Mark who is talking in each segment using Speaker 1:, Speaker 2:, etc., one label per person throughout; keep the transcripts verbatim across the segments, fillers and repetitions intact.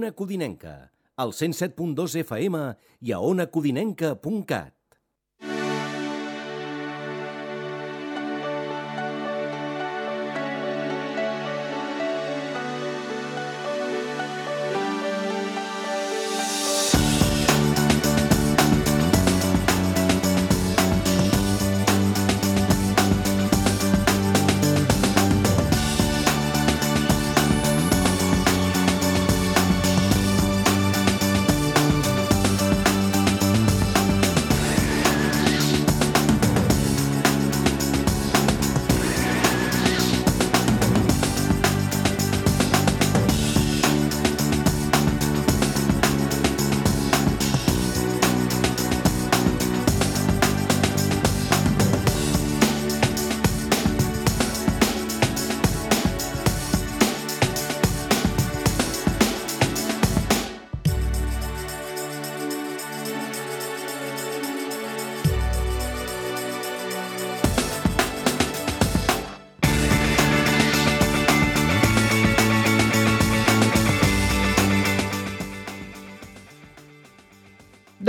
Speaker 1: Ona Codinenca, al cent set punt dos F M i a ona codinenca punt cat.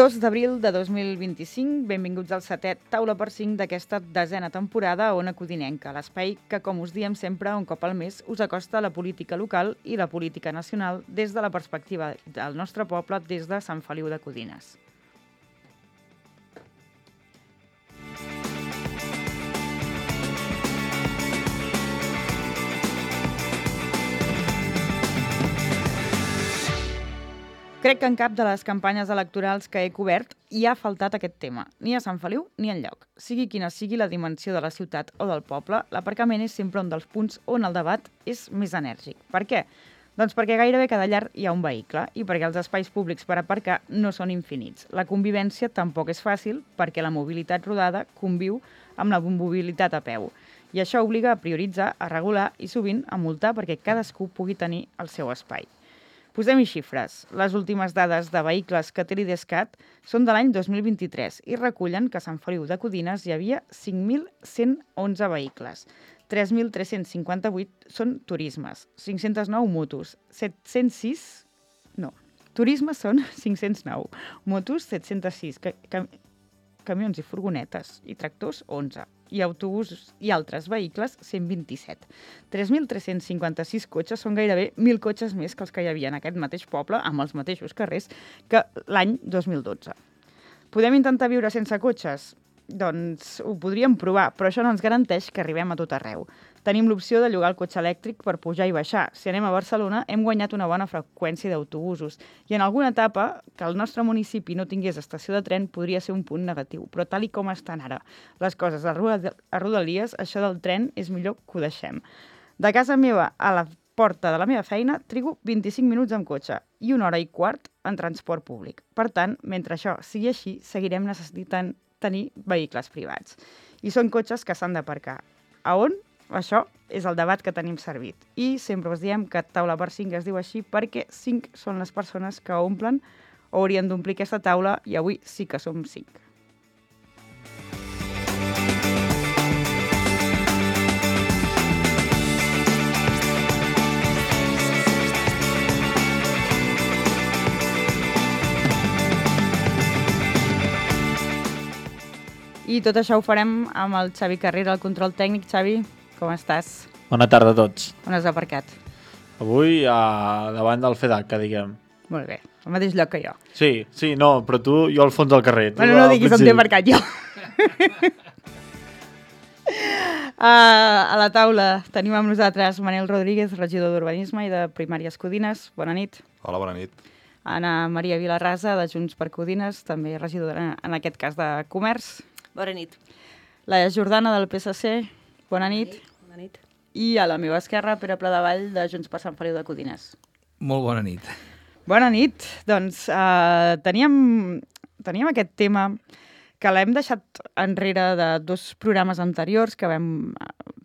Speaker 2: dos d'abril de dos mil vint-i-cinc, benvinguts al setè Taula per cinc d'aquesta desena temporada a Ona Codinenca, l'espai que, com us diem sempre, un cop al mes, us acosta la política local i la política nacional des de la perspectiva del nostre poble, des de Sant Feliu de Codines. Crec que en cap de les campanyes electorals que he cobert hi ha faltat aquest tema, ni a Sant Feliu ni enlloc. Sigui quina sigui la dimensió de la ciutat o del poble, l'aparcament és sempre un dels punts on el debat és més enèrgic. Per què? Doncs perquè gairebé cada llar hi ha un vehicle i perquè els espais públics per aparcar no són infinits. La convivència tampoc és fàcil perquè la mobilitat rodada conviu amb la mobilitat a peu. I això obliga a prioritzar, a regular i sovint a multar perquè cadascú pugui tenir el seu espai. Posem-hi xifres. Les últimes dades de vehicles que té l'Idescat són de l'any dos mil vint-i-tres i recullen que a Sant Feliu de Codines hi havia cinc mil cent onze vehicles. tres mil tres-cents cinquanta-vuit són turismes, cinc-cents nou motos, set-cents sis... No, turismes són cinc-cents nou, motos set-cents sis, ca ca camions i furgonetes i tractors onze, i autobusos i altres vehicles cent vint-i-set. tres mil tres-cents cinquanta-sis cotxes són gairebé mil cotxes més que els que hi havia en aquest mateix poble, amb els mateixos carrers, que l'any dos mil dotze. Podem intentar viure sense cotxes? Doncs ho podríem provar, però això no ens garanteix que arribem a tot arreu. Tenim l'opció de llogar el cotxe elèctric per pujar i baixar. Si anem a Barcelona, hem guanyat una bona freqüència d'autobusos. I en alguna etapa, que el nostre municipi no tingués estació de tren podria ser un punt negatiu. Però tal i com estan ara les coses a Rodalies, això del tren és millor que ho deixem. De casa meva a la porta de la meva feina trigo vint-i-cinc minuts amb cotxe i una hora i quart en transport públic. Per tant, mentre això sigui així, seguirem necessitant tenir vehicles privats. I són cotxes que s'han d'aparcar. A on? Això és el debat que tenim servit. I sempre us diem que taula per cinc es diu així perquè cinc són les persones que omplen o haurien d'omplir aquesta taula i avui sí que som cinc. I tot això ho farem amb el Xavi Carrera, el control tècnic. Xavi, com estàs?
Speaker 3: Bona tarda a tots.
Speaker 2: On has aparcat?
Speaker 3: Avui a davant del FEDAC, que diguem.
Speaker 2: Molt bé, al mateix lloc que jo.
Speaker 3: Sí, sí, no, però tu, jo al fons del carrer.
Speaker 2: Bueno, no diguis on t'he aparcat jo. uh, a la taula tenim amb nosaltres Manel Rodríguez, regidor d'Urbanisme i de Primàries Codines. Bona nit.
Speaker 4: Hola, bona nit.
Speaker 2: Ana Maria Vilarrasa, de Junts per Codines, també regidora, en aquest cas, de Comerç.
Speaker 5: Bona nit.
Speaker 2: La Jordana, del P S C. Bona nit.
Speaker 5: Bona nit.
Speaker 2: I a la meva esquerra, Pere Pladevall, de Junts per Sant Feliu de Codines.
Speaker 6: Molt bona nit.
Speaker 2: Bona nit. Doncs uh, teníem, teníem aquest tema que l'hem deixat enrere de dos programes anteriors que vam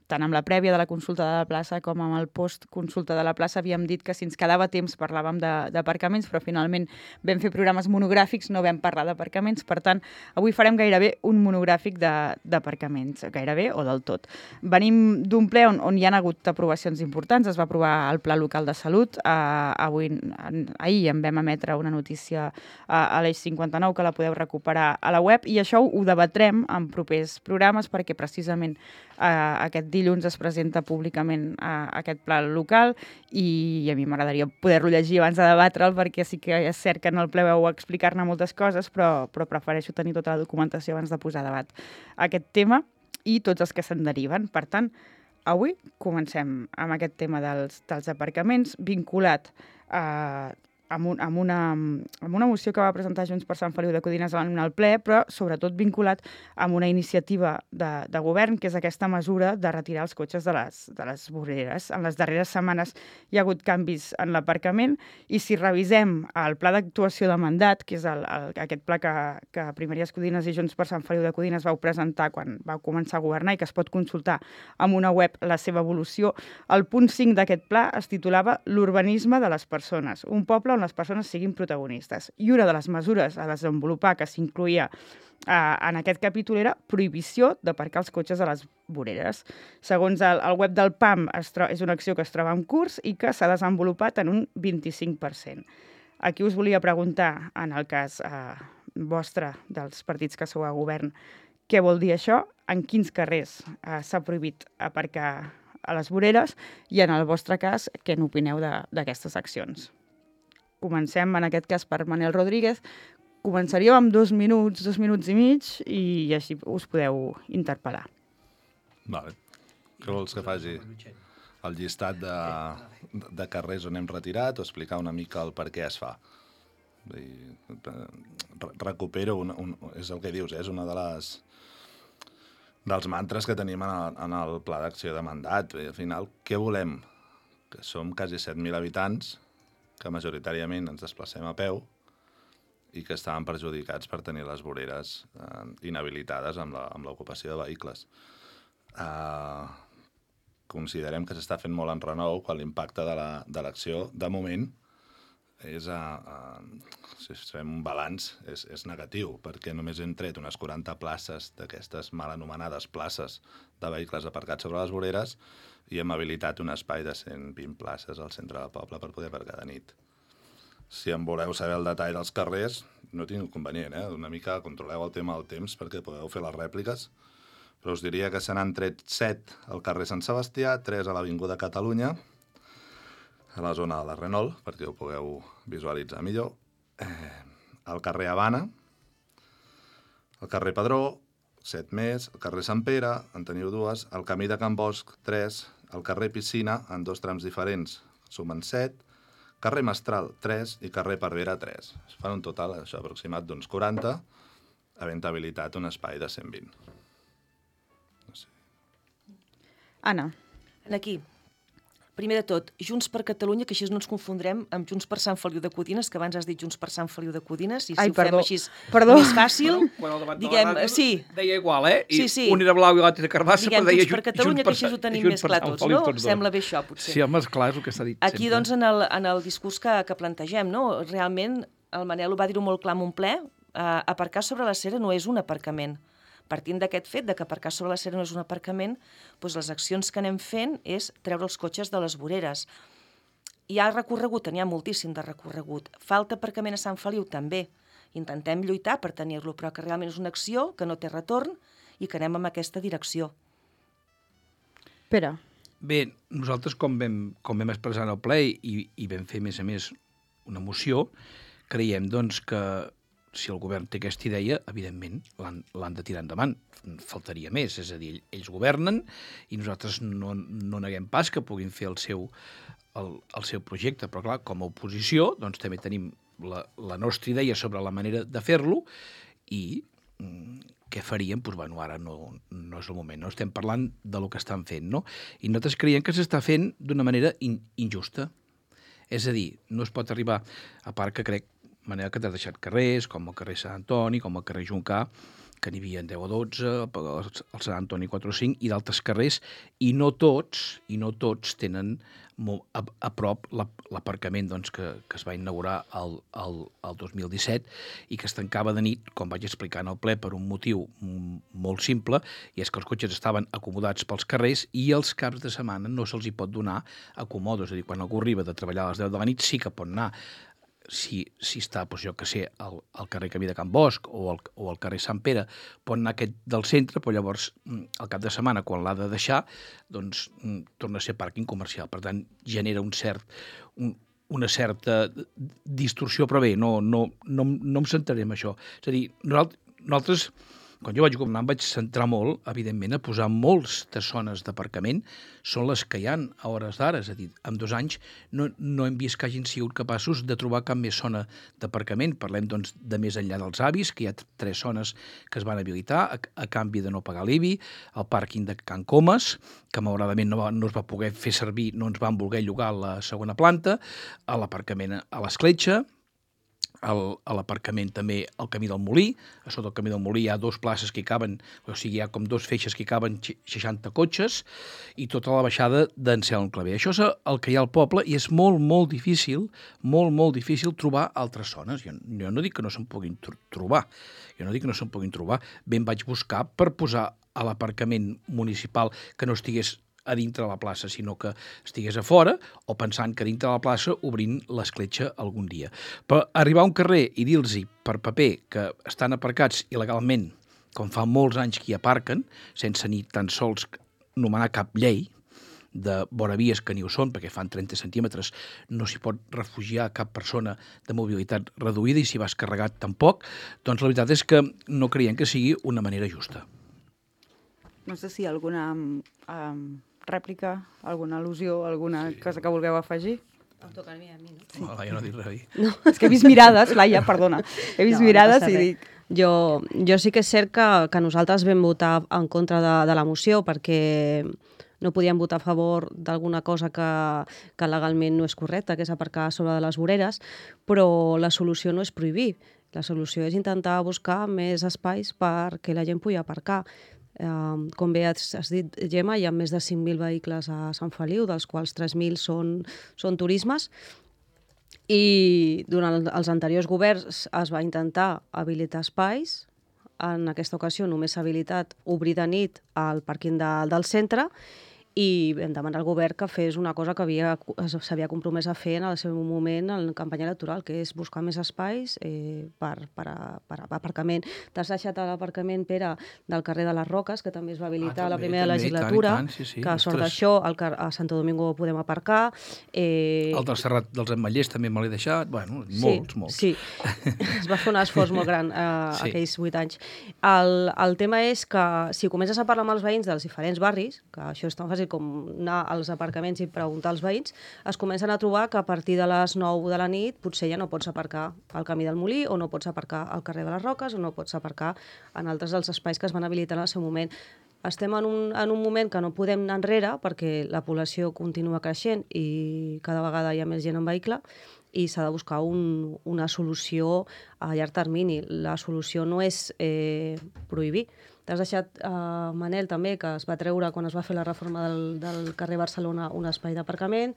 Speaker 2: tant amb la prèvia de la consulta de la plaça com amb el post-consulta de la plaça havíem dit que si ens quedava temps parlàvem d'aparcaments, però finalment vam fer programes monogràfics, no vam parlar d'aparcaments, per tant, avui farem gairebé un monogràfic d'aparcaments, gairebé o del tot. Venim d'un ple on, on hi ha hagut aprovacions importants, es va aprovar el Pla Local de Salut, eh, avui, en, ahir en vam emetre una notícia a, a l'Eix cinquanta-nou que la podeu recuperar a la web, i això ho debatrem en propers programes perquè precisament eh, aquest dilluns es presenta públicament a aquest pla local i a mi m'agradaria poder-lo llegir abans de debatre'l perquè sí que és cert que en el ple vau explicar-ne moltes coses, però, però prefereixo tenir tota la documentació abans de posar a debat aquest tema i tots els que se'n deriven. Per tant, avui comencem amb aquest tema dels, dels aparcaments vinculat a amb, un, amb, una, amb una moció que va presentar Junts per Sant Feliu de Codines en el ple, però sobretot vinculat amb una iniciativa de, de govern, que és aquesta mesura de retirar els cotxes de les, de les voreres. En les darreres setmanes hi ha hagut canvis en l'aparcament i si revisem el pla d'actuació de mandat, que és el, el, aquest pla que, que Primeries Codines i Junts per Sant Feliu de Codines vau presentar quan vau començar a governar i que es pot consultar amb una web la seva evolució, el punt cinc d'aquest pla es titulava l'urbanisme de les persones, un poble on les persones siguin protagonistes. I una de les mesures a desenvolupar que s'incluïa eh, en aquest capítol era prohibició d'aparcar els cotxes a les voreres. Segons el, el web del P A M, es és una acció que es troba en curs i que s'ha desenvolupat en un vint-i-cinc per cent. Aquí us volia preguntar, en el cas eh, vostre, dels partits que sou a govern, què vol dir això? En quins carrers eh, s'ha prohibit aparcar a les voreres i, en el vostre cas, què n'opineu d'aquestes accions? Comencem, en aquest cas, per Manel Rodríguez. Començaríem amb dos minuts, dos minuts i mig, i així us podeu interpel·lar.
Speaker 4: Vale. Què vols que faci? El llistat de, de carrers on hem retirat o explicar una mica el per què es fa? Recupero, un, un, és el que dius, eh? És una de les dels mantres que tenim en el, en el pla d'acció de mandat. I al final, què volem? Que som quasi set mil habitants, que majoritàriament ens desplacem a peu i que estaven perjudicats per tenir les voreres eh, inhabilitades amb l'ocupació de vehicles. Eh, considerem que s'està fent molt en renou quan l'impacte de l'acció, la, de moment, és a, a, si fem un balanç, és, és negatiu, perquè només hem tret unes quaranta places d'aquestes mal anomenades places de vehicles aparcats sobre les voreres i hem habilitat un espai de cent vint places al centre del poble per poder aparcar de nit. Si en voleu saber el detall dels carrers, no tinc inconvenient, eh? Una mica controleu el tema del temps perquè podeu fer les rèpliques, però us diria que se n'han tret set al carrer Sant Sebastià, tres a l'Avinguda Catalunya, a la zona de la Renault, perquè ho pugueu visualitzar millor, eh, al carrer Habana, al carrer Padró, set més, al carrer Sant Pere, en teniu dues, al camí de Can Bosch, tres, al carrer Piscina, en dos trams diferents, sumen set, carrer Mestral, tres, i carrer Parvera, tres. Es fan un total, això, aproximat d'uns quaranta, havent habilitat un espai de cent vint. No sé.
Speaker 2: Anna.
Speaker 5: Aquí. Primer de tot, Junts per Catalunya, que així no ens confondrem amb Junts per Sant Feliu de Codines, que abans has dit Junts per Sant Feliu de Codines, i si
Speaker 2: Ai,
Speaker 5: ho
Speaker 2: perdó.
Speaker 5: fem així
Speaker 2: Perdó.
Speaker 5: més fàcil,
Speaker 6: Bueno, quan el debat de
Speaker 5: diguem,
Speaker 6: la ràdio
Speaker 5: sí,
Speaker 6: deia igual, eh? I
Speaker 5: Sí, sí.
Speaker 6: un era blau i l'altre era carbassa,
Speaker 5: diguem
Speaker 6: però deia
Speaker 5: Junts per Catalunya, que així ho tenim més clar tots, no? Sembla bé això, potser.
Speaker 6: Sí, home, esclar, és el que s'ha dit
Speaker 5: Aquí,
Speaker 6: sempre.
Speaker 5: doncs, en el, en el discurs que, que plantegem, no? Realment, el Manel ho va dir-ho molt clar en un ple, eh, aparcar sobre la cera no és un aparcament. Partint d'aquest fet de que aparcar sobre la cera no és un aparcament, doncs les accions que anem fent és treure els cotxes de les voreres. Hi ha recorregut, n'hi ha moltíssim de recorregut. Falta aparcament a Sant Feliu, també. Intentem lluitar per tenir-lo, però que realment és una acció que no té retorn i que anem en aquesta direcció.
Speaker 2: Pere.
Speaker 6: Bé, nosaltres, com vam, com vam expressar en el ple i, i vam fer, a més a més, una moció, creiem, doncs, que si el govern té aquesta idea, evidentment, l'han de tirar endavant. Faltaria més, és a dir, ells governen i nosaltres no, no neguem pas que puguin fer el seu, el, el seu projecte, però clar, com a oposició, doncs també tenim la, la nostra idea sobre la manera de fer-lo i mm, què faríem? Doncs, bueno, ara no, no és el moment, no estem parlant de lo que estan fent, no? I nosaltres creiem que s'està fent d'una manera in, injusta. És a dir, no es pot arribar, a part que crec, manera que t'has deixat carrers, com el carrer Sant Antoni, com el carrer Juncà, que n'hi havia deu o dotze, el Sant Antoni quatre o cinc, i d'altres carrers, i no tots, i no tots tenen a, a prop l'aparcament doncs, que, que es va inaugurar el, el, el dos mil disset i que es tancava de nit, com vaig explicar en el ple, per un motiu molt simple, i és que els cotxes estaven acomodats pels carrers i els caps de setmana no se'ls hi pot donar acomodo, és a dir, quan algú arriba de treballar a les deu de la nit sí que pot anar. Si, si està, doncs jo que sé, al, al carrer Camí de Can Bosch o al, o al carrer Sant Pere, pot anar aquest del centre, però llavors al cap de setmana, quan l'ha de deixar, doncs torna a ser pàrquing comercial. Per tant, genera un cert, un, una certa distorsió, però bé, no, no, no, no em centraré en això. És a dir, nosaltres, nosaltres quan jo vaig governar em vaig centrar molt, evidentment, a posar moltes zones d'aparcament, són les que hi ha a hores d'ara, és a dir, en dos anys no, no hem vist que hagin sigut capaços de trobar cap més zona d'aparcament. Parlem, doncs, de més enllà dels avis, que hi ha tres zones que es van habilitar a, a canvi de no pagar l'I B I, el pàrquing de Can Comas, que malauradament no, va, no es va poder fer servir, no ens van voler llogar a la segona planta, a l'aparcament a l'Escletxa, a l'aparcament també al Camí del Molí. A sota del Camí del Molí hi ha dues places que hi caben, o sigui, hi ha com dos feixes que hi caben seixanta cotxes i tota la baixada d'Anselm Clavé. Això és el que hi ha al poble i és molt, molt difícil, molt, molt difícil trobar altres zones. Jo, jo no dic que no se'n puguin tr trobar, jo no dic que no se'n puguin trobar. Ben vaig buscar per posar a l'aparcament municipal que no estigués a dintre de la plaça, sinó que estigués a fora o pensant que dintre de la plaça obrint l'escletxa algun dia. Però arribar a un carrer i dir-los per paper que estan aparcats il·legalment, com fa molts anys que hi aparquen, sense ni tan sols nomenar cap llei, de voravies que ni ho són, perquè fan trenta centímetres, no s'hi pot refugiar cap persona de mobilitat reduïda i si vas carregat tampoc, doncs la veritat és que no creiem que sigui una manera justa.
Speaker 2: No sé si hi ha alguna um, rèplica, alguna al·lusió, alguna sí. cosa que vulgueu afegir.
Speaker 5: Em toca a mi, a mi, no?
Speaker 6: Sí. No, jo no dic res.
Speaker 2: No. És que he vist mirades, Laia, perdona. He vist no, mirades no i dic...
Speaker 7: Jo, jo sí que és cert que, que nosaltres vam votar en contra de, de la moció perquè no podíem votar a favor d'alguna cosa que, que legalment no és correcta, que és aparcar sobre de les voreres, però la solució no és prohibir. La solució és intentar buscar més espais perquè la gent pugui aparcar. Uh, com bé has, has dit, Gemma, hi ha més de cinc mil vehicles a Sant Feliu, dels quals tres mil són, són turismes, i durant els anteriors governs es va intentar habilitar espais. En aquesta ocasió només s'ha habilitat obrir de nit al pàrquing de, del centre i vam demanar al govern que fes una cosa que s'havia compromès a fer en el seu moment en la campanya electoral, que és buscar més espais eh, per, per, a, per a aparcament. T'has deixat l'aparcament, Pere, del carrer de les Roques, que també es va habilitar ah, també, la primera també, legislatura, tant, tant, sí, sí, que a sort d'això a Santo Domingo podem aparcar. Eh...
Speaker 6: El del Serrat dels Ametllers també me l'he deixat, bueno, molts,
Speaker 7: sí,
Speaker 6: molts.
Speaker 7: Sí, es va fer un esforç molt gran eh, sí. aquells vuit anys. El, el tema és que si comences a parlar amb els veïns dels diferents barris, que això és tan fàcil com anar als aparcaments i preguntar als veïns, es comencen a trobar que a partir de les nou de la nit potser ja no pots aparcar al Camí del Molí o no pots aparcar al carrer de les Roques o no pots aparcar en altres dels espais que es van habilitar en el seu moment. Estem en un, en un moment que no podem anar enrere perquè la població continua creixent i cada vegada hi ha més gent en vehicle i s'ha de buscar un, una solució a llarg termini. La solució no és eh, prohibir. T'has deixat, eh, Manel, també, que es va treure, quan es va fer la reforma del, del carrer Barcelona, un espai d'aparcament.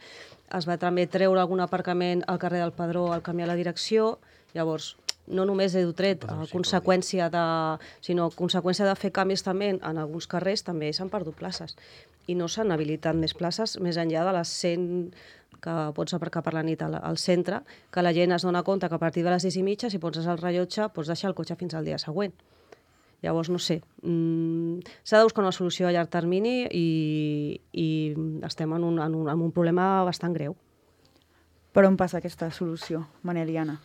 Speaker 7: Es va també treure algun aparcament al carrer del Padró al canviar la direcció. Llavors, no només he tret a conseqüència de, sinó conseqüència de fer canvis també en alguns carrers, també s'han perdut places. I no s'han habilitat més places més enllà de les cent que pots aparcar per la nit al, al centre, que la gent es dona compte que a partir de les sis i mitja, si poses el rellotge, pots deixar el cotxe fins al dia següent. Llavors, no sé, mm, s'ha de buscar una solució a llarg termini i, i estem en un, en, un, en un problema bastant greu.
Speaker 2: Per on passa aquesta solució, Manel i Anna?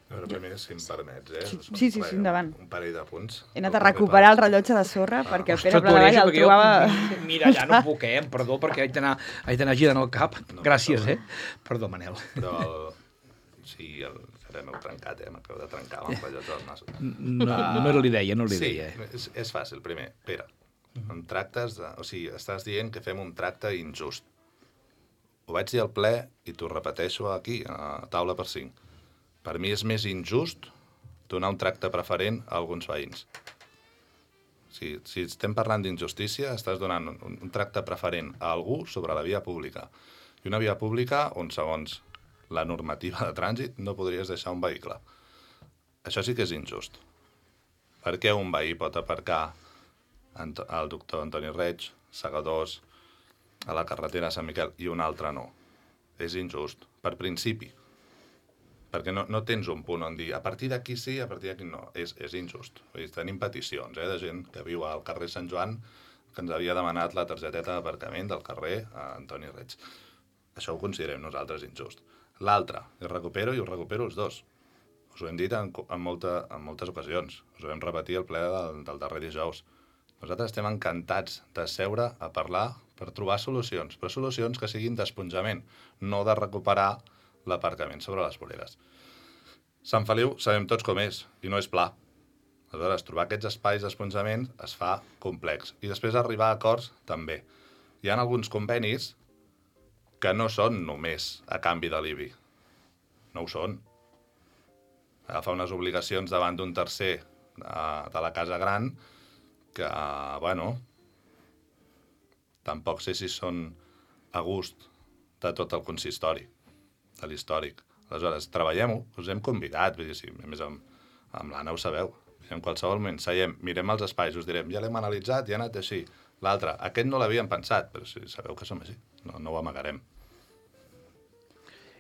Speaker 4: A veure, primer, si em permets, eh?
Speaker 2: Sí, sí, sí, sí, endavant.
Speaker 4: Un parell de punts.
Speaker 2: He anat a recuperar el rellotge de sorra ah. perquè el Pere
Speaker 6: Ostres,
Speaker 2: Pladevall el trobava...
Speaker 6: Jo, mira, ja no puc, eh? Perdó, perquè haig d'anar girant el cap. No, Gràcies, no. eh? Perdó, Manel.
Speaker 4: Però el... Sí, el... Ara m'heu trencat, eh? M'acabo de trencar amb el rellotge del nas.
Speaker 6: No, no era l'idea, no l'idea.
Speaker 4: Sí, és, és fàcil. Primer, Pere, em tractes de... O sigui, estàs dient que fem un tracte injust. Ho vaig dir al ple i t'ho repeteixo aquí, a taula per cinc. Per mi és més injust donar un tracte preferent a alguns veïns. Si, si estem parlant d'injustícia, estàs donant un, un tracte preferent a algú sobre la via pública. I una via pública on, segons la normativa de trànsit, no podries deixar un vehicle. Això sí que és injust. Per què un veí pot aparcar el doctor Antoni Reig, segadors, a la carretera de Sant Miquel, i un altre no? És injust, per principi. Perquè no, no tens un punt on dir a partir d'aquí sí, a partir d'aquí no. És, és injust. Vull dir, tenim peticions eh, de gent que viu al carrer Sant Joan que ens havia demanat la targeteta d'aparcament del carrer a Antoni Reig. Això ho considerem nosaltres injust. L'altre, ho recupero i ho recupero els dos. Us ho hem dit en, en, molta, en moltes ocasions. Us ho vam repetir al ple del, del darrer dijous. Nosaltres estem encantats de seure a parlar per trobar solucions, però solucions que siguin d'esponjament, no de recuperar l'aparcament sobre les voreres. Sant Feliu sabem tots com és, i no és pla. Aleshores, trobar aquests espais d'esponjament es fa complex. I després arribar a acords, també. Hi ha alguns convenis que no són només a canvi de l'I B I. No ho són. Agafar unes obligacions davant d'un tercer de, de la casa gran que, bueno, tampoc sé si són a gust de tot el consistori, de l'històric. Aleshores, treballem-ho, us hem convidat, vull dir, sí, a més amb, amb l'Anna ho sabeu, en qualsevol moment seiem, mirem els espais, us direm, ja l'hem analitzat, ja ha anat així. L'altre, aquest no l'havíem pensat, però sí, sabeu que som així, no, no ho amagarem.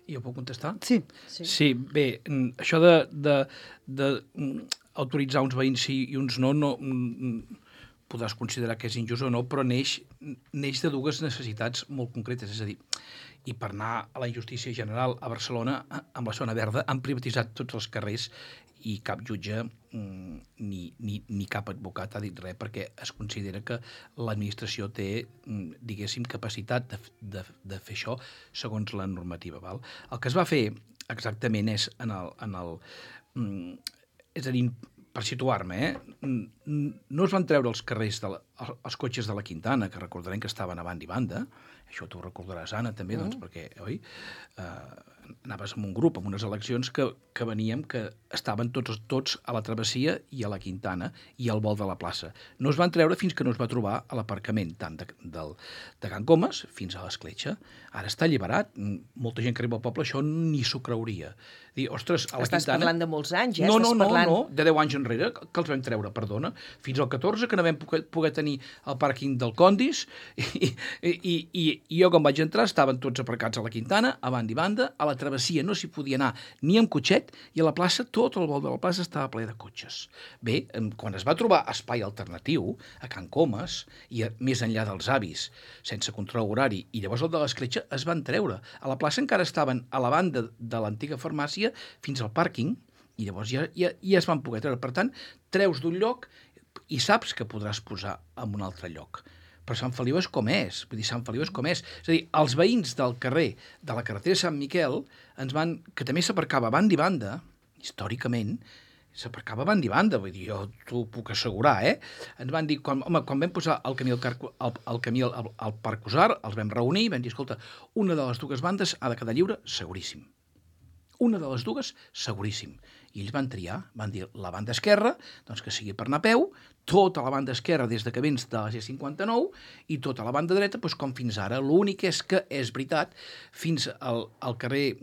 Speaker 6: I jo puc contestar?
Speaker 2: Sí.
Speaker 7: Sí.
Speaker 6: Sí, bé, això de, de, de autoritzar uns veïns sí i uns no, no podràs considerar que és injust o no, però neix, neix de dues necessitats molt concretes, és a dir, i per anar a la injustícia general a Barcelona, amb la zona verda, han privatitzat tots els carrers i cap jutge ni, ni, ni cap advocat ha dit res perquè es considera que l'administració té, diguéssim, capacitat de, de, de fer això segons la normativa. Val? El que es va fer exactament és en el... En el és a dir, per situar-me, eh? no es van treure els carrers, de la, els cotxes de la Quintana, que recordarem que estaven a banda i banda, això t'ho recordaràs, Anna, també, doncs, perquè, oi, eh, anaves amb un grup, amb unes eleccions que, que veníem, que estaven tots, tots a la travessia i a la Quintana i al vol de la plaça. No es van treure fins que no es va trobar a l'aparcament, tant de, del, de Can Comas fins a l'Escletxa. Ara està alliberat. Molta gent que arriba al poble això ni s'ho creuria. Dir, ostres, a la
Speaker 5: Estàs
Speaker 6: Quintana...
Speaker 5: parlant de molts anys, eh?
Speaker 6: No,
Speaker 5: Estàs
Speaker 6: no, no,
Speaker 5: parlant...
Speaker 6: no, de deu anys enrere, que els vam treure, perdona, fins al catorze, que no vam poder, poder tenir el pàrquing del Condis, i, i, i, i jo quan vaig entrar estaven tots aparcats a la Quintana, a banda i banda, a la travessia no s'hi podia anar ni amb cotxet, i a la plaça, tot el vol de la plaça estava ple de cotxes. Bé, quan es va trobar espai alternatiu, a Can Comas, i a, més enllà dels avis, sense control horari, i llavors el de l'Escletxa es van treure. A la plaça encara estaven a la banda de l'antiga farmàcia fins al pàrquing, i llavors ja, ja, ja es van poder treure. Per tant, treus d'un lloc i saps que podràs posar en un altre lloc. Però Sant Feliu és com és, vull dir, Sant Feliu és com és. És a dir, els veïns del carrer de la carretera Sant Miquel, ens van, que també s'aparcava a banda i banda, històricament, s'aparcava a banda i banda, vull dir, jo t'ho puc assegurar, eh? Ens van dir, quan, home, quan vam posar el camí al, car, el, el camí al, al Parc Usar, els vam reunir i vam dir, escolta, una de les dues bandes ha de quedar lliure, seguríssim. Una de les dues, seguríssim. I ells van triar, van dir la banda esquerra, doncs que sigui per anar a peu, tota la banda esquerra des de que vens de la C cinquanta-nou i tota la banda dreta, doncs com fins ara. L'únic és que, és veritat, fins al, al carrer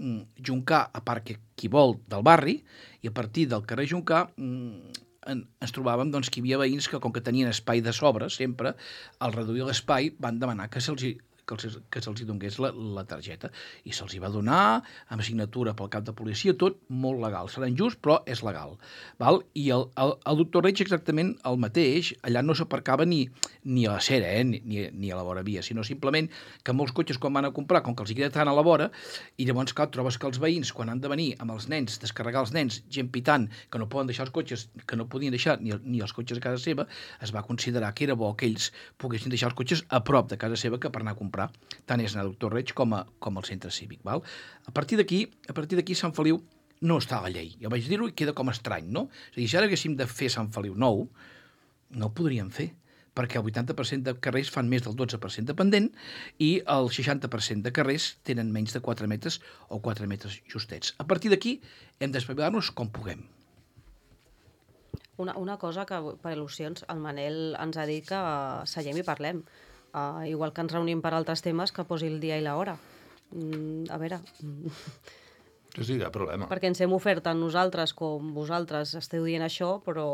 Speaker 6: Juncà, a part que qui vol del barri, i a partir del carrer Juncà en, ens trobàvem doncs, que hi havia veïns que, com que tenien espai de sobre, sempre, al reduir l'espai, van demanar que se'ls que, els, que se'ls donés la, la targeta. I se'ls hi va donar, amb signatura pel cap de policia, tot molt legal. Serà injust, però és legal. Val? I el, el, el doctor Reig exactament el mateix, allà no s'aparcava ni, ni a la cera, eh? ni, ni, ni a la vora via, sinó simplement que molts cotxes quan van a comprar, com que els hi queda tant a la vora, i llavors, clar, trobes que els veïns, quan han de venir amb els nens, descarregar els nens, gent pitant, que no poden deixar els cotxes, que no podien deixar ni, ni els cotxes a casa seva, es va considerar que era bo que ells poguessin deixar els cotxes a prop de casa seva que per anar a comprar. Tant és anar a Doctor Reig com, a, com al centre cívic. Val? A partir d'aquí, a partir d'aquí Sant Feliu no està a la llei. Jo vaig dir-ho i queda com estrany, no? És a dir, si ara haguéssim de fer Sant Feliu nou, no ho podríem fer, perquè el vuitanta per cent de carrers fan més del dotze per cent de pendent i el seixanta per cent de carrers tenen menys de quatre metres o quatre metres justets. A partir d'aquí hem d'espavilar-nos com puguem.
Speaker 7: Una, una cosa que, per al·lusions, el Manel ens ha dit que uh, seiem i parlem. Uh, igual que ens reunim per altres temes, que posi el dia i l'hora. Mm, a veure...
Speaker 4: Sí, sí, cap problema.
Speaker 7: Perquè ens hem ofert tant nosaltres com vosaltres esteu dient això, però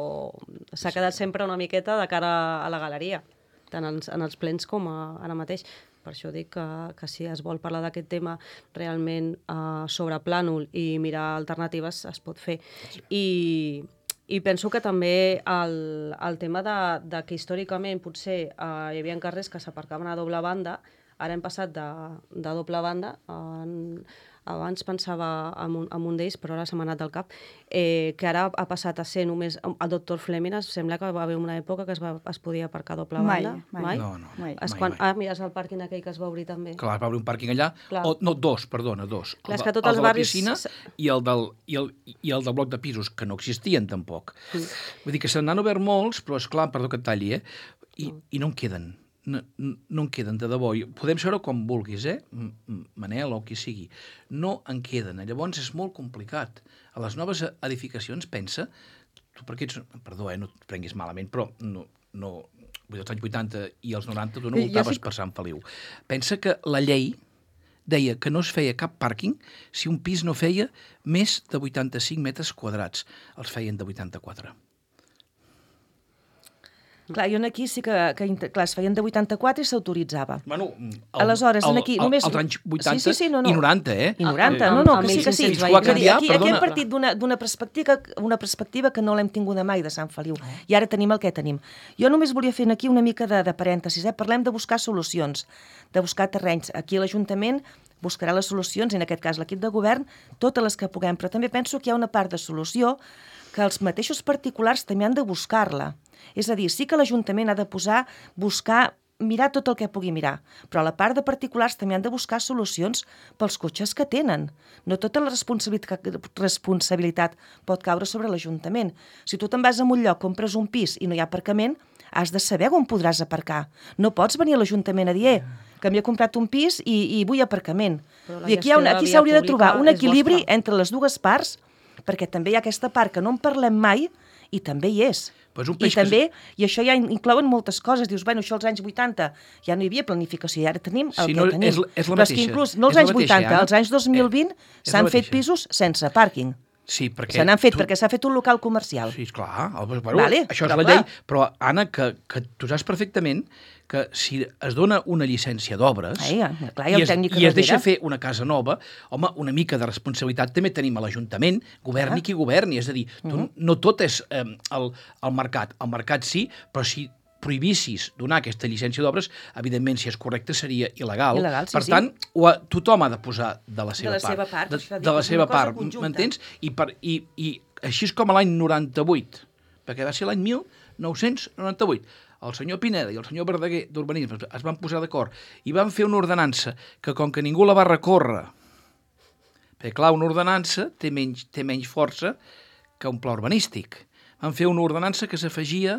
Speaker 7: s'ha quedat sempre una miqueta de cara a la galeria, tant en, en els plens com a, ara mateix. Per això dic que, que si es vol parlar d'aquest tema realment uh, sobre plànol i mirar alternatives, es pot fer. I, i penso que també el, el tema de, de que històricament potser uh, hi havia carrers que s'aparcaven a doble banda, ara hem passat de, de doble banda en... Abans pensava en un, en un d'ells, però ara se m'ha anat del cap, eh, que ara ha passat a ser només... El doctor Fleming, sembla que va haver una època que es, va, es podia aparcar a doble banda.
Speaker 2: Mai, mai.
Speaker 6: No, no,
Speaker 2: mai.
Speaker 7: Es
Speaker 6: mai,
Speaker 7: quan,
Speaker 6: mai.
Speaker 7: Ah, mira, és el pàrquing aquell que es va obrir també.
Speaker 6: Clar, va obrir un pàrquing allà,
Speaker 7: Clar.
Speaker 6: o, no, dos, perdona, dos.
Speaker 7: Clar, és
Speaker 6: el,
Speaker 7: que tots
Speaker 6: el
Speaker 7: els
Speaker 6: de la
Speaker 7: barris-
Speaker 6: piscina i el, del, i, el, i el del bloc de pisos, que no existien tampoc. Mm. Vull dir que se n'han obert molts, però és clar, perdó que et talli, eh? I, mm. i no en queden. No, no en queden, de debò. Podem seure com vulguis, eh? Manel o qui sigui. No en queden. Llavors és molt complicat. A les noves edificacions, pensa... Tu perquè ets... Perdó, eh? No et prenguis malament, però no... no als anys vuitanta i als noranta tu no voltaves sí... per Sant Feliu. Pensa que la llei deia que no es feia cap pàrquing si un pis no feia més de vuitanta-cinc metres quadrats. Els feien de vuitanta-quatre.
Speaker 5: Clar, jo aquí sí que, que clar, es feien de vuitanta-quatre i s'autoritzava.
Speaker 6: Bueno, el,
Speaker 5: Aleshores,
Speaker 6: el,
Speaker 5: aquí
Speaker 6: el,
Speaker 5: només...
Speaker 6: Els anys vuitanta
Speaker 5: sí, sí, sí, no, no.
Speaker 6: i noranta, eh?
Speaker 5: I noranta,
Speaker 7: Ah,
Speaker 5: no, no,
Speaker 7: amb
Speaker 5: que sí, que sí.
Speaker 7: mil cinc-cents
Speaker 6: veïns. Aquí-
Speaker 5: Aquí, aquí hem
Speaker 6: perdona.
Speaker 5: partit d'una perspectiva, una perspectiva que no l'hem tinguda mai de Sant Feliu. I ara tenim el que tenim. Jo només volia fer aquí una mica de, de parèntesis. Eh? Parlem de buscar solucions, de buscar terrenys. Aquí l'Ajuntament buscarà les solucions, i en aquest cas l'equip de govern, totes les que puguem. Però també penso que hi ha una part de solució que els mateixos particulars també han de buscar-la. És a dir, sí que l'Ajuntament ha de posar, buscar, mirar tot el que pugui mirar, però a la part de particulars també han de buscar solucions pels cotxes que tenen. No tota la responsabilitat, responsabilitat pot caure sobre l'Ajuntament. Si tu te'n vas a un lloc, compres un pis i no hi ha aparcament, has de saber on podràs aparcar. No pots venir a l'Ajuntament a dir, eh, que m'he comprat un pis i, i vull aparcament. I aquí, aquí s'hauria de trobar un equilibri entre les dues parts, perquè també hi ha aquesta part que no en parlem mai i també hi és.
Speaker 6: Pues un
Speaker 5: I
Speaker 6: peix
Speaker 5: també,
Speaker 6: que...
Speaker 5: i això ja inclouen moltes coses. Dius, bueno, això als anys vuitanta ja no hi havia planificació i ara tenim el
Speaker 6: Sí,
Speaker 5: que
Speaker 6: no,
Speaker 5: tenim.
Speaker 6: és, és la
Speaker 5: Però és
Speaker 6: mateixa.
Speaker 5: que inclús, no als
Speaker 6: És la
Speaker 5: anys
Speaker 6: mateixa,
Speaker 5: vuitanta,
Speaker 6: Anna.
Speaker 5: als anys dos mil vint
Speaker 6: Eh, és la
Speaker 5: s'han fet
Speaker 6: mateixa.
Speaker 5: pisos sense pàrquing.
Speaker 6: Sí, perquè...
Speaker 5: Se n'han fet
Speaker 6: tu...
Speaker 5: perquè s'ha fet un local comercial.
Speaker 6: Sí, clar. El, bueno,
Speaker 5: Vale,
Speaker 6: això és
Speaker 5: però
Speaker 6: la
Speaker 5: clar.
Speaker 6: llei. Però, Anna, que, que tu saps perfectament que si es dona una llicència d'obres
Speaker 5: Ai, clar, hi ha
Speaker 6: i,
Speaker 5: un
Speaker 6: es,
Speaker 5: tècnic
Speaker 6: i es deixa
Speaker 5: darrere.
Speaker 6: fer una casa nova, home, una mica de responsabilitat també tenim a l'Ajuntament, governi
Speaker 5: Ah.
Speaker 6: qui governi. És a dir, tu,
Speaker 5: Uh-huh.
Speaker 6: no tot és eh, el, el mercat. El mercat sí, però si prohibissis donar aquesta llicència d'obres, evidentment, si és correcte, seria il·legal.
Speaker 5: Il·legal, sí,
Speaker 6: per
Speaker 5: sí.
Speaker 6: tant, ho ha, tothom ha de posar de la seva
Speaker 5: la
Speaker 6: part.
Speaker 5: seva part,
Speaker 6: de,
Speaker 5: això dic,
Speaker 6: de la
Speaker 5: és
Speaker 6: seva
Speaker 5: una cosa
Speaker 6: part,
Speaker 5: conjunta.
Speaker 6: m'entens? I, per, i, I així és com a l'any noranta-vuit, perquè va ser l'any mil nou-cents noranta-vuit, el senyor Pineda i el senyor Verdaguer d'Urbanisme es van posar d'acord i van fer una ordenança que, com que ningú la va recórrer, perquè, clar, una ordenança té menys, té menys força que un pla urbanístic. Van fer una ordenança que s'afegia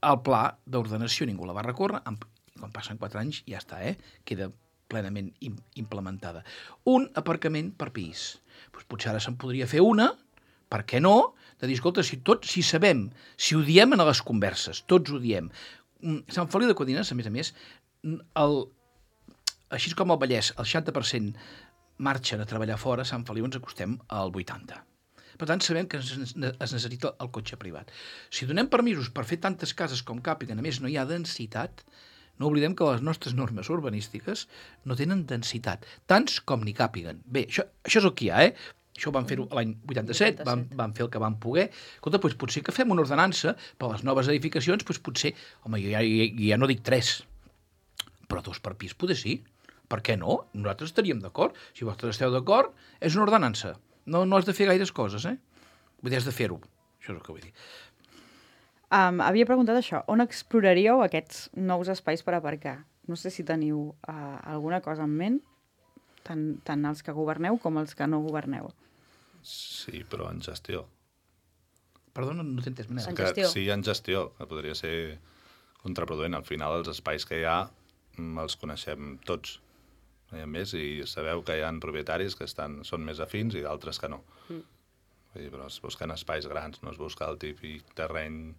Speaker 6: al pla d'ordenació, ningú la va recórrer, i quan passen quatre anys ja està, eh? Queda plenament im implementada. Un aparcament per pis. Pues potser ara se'n podria fer una, per què no? De dir, escolta, si, tot, si sabem, si ho diem a les converses, tots ho diem. Sant Feliu de Codines, a més a més, el, així com el Vallès, el seixanta per cent marxen a treballar fora, a Sant Feliu ens acostem al vuitanta per cent. Per tant, sabem que es necessita el cotxe privat. Si donem permisos per fer tantes cases com càpiguen, a més no hi ha densitat, no oblidem que les nostres normes urbanístiques no tenen densitat, tants com n'hi càpiguen. Bé, això, això és el que hi ha, eh? Això ho van fer l'any vuitanta-set, van, van fer el que van poder. Escolta, doncs potser que fem una ordenança per a les noves edificacions, doncs potser, home, jo ja, ja, ja no dic tres, però dos per pis potser sí. Per què no? Nosaltres estaríem d'acord. Si vosaltres esteu d'acord, és una ordenança. No, no has de fer gaires coses, eh? Vull dir, has de fer-ho. Això és el que vull dir.
Speaker 2: Um, havia preguntat això. On exploraríeu aquests nous espais per aparcar? No sé si teniu uh, alguna cosa en ment, tant, tant els que governeu com els que no governeu.
Speaker 4: Sí, però en gestió.
Speaker 6: Perdona, no t'he entès.
Speaker 7: En
Speaker 4: Que,
Speaker 7: gestió.
Speaker 4: sí, en gestió, que podria ser contraproduent. Al final, els espais que hi ha mm, els coneixem tots. No hi ha més, i sabeu que hi ha propietaris que estan, són més afins i d'altres que no. Mm. Vull dir, però es busquen espais grans, no es busca el típic terreny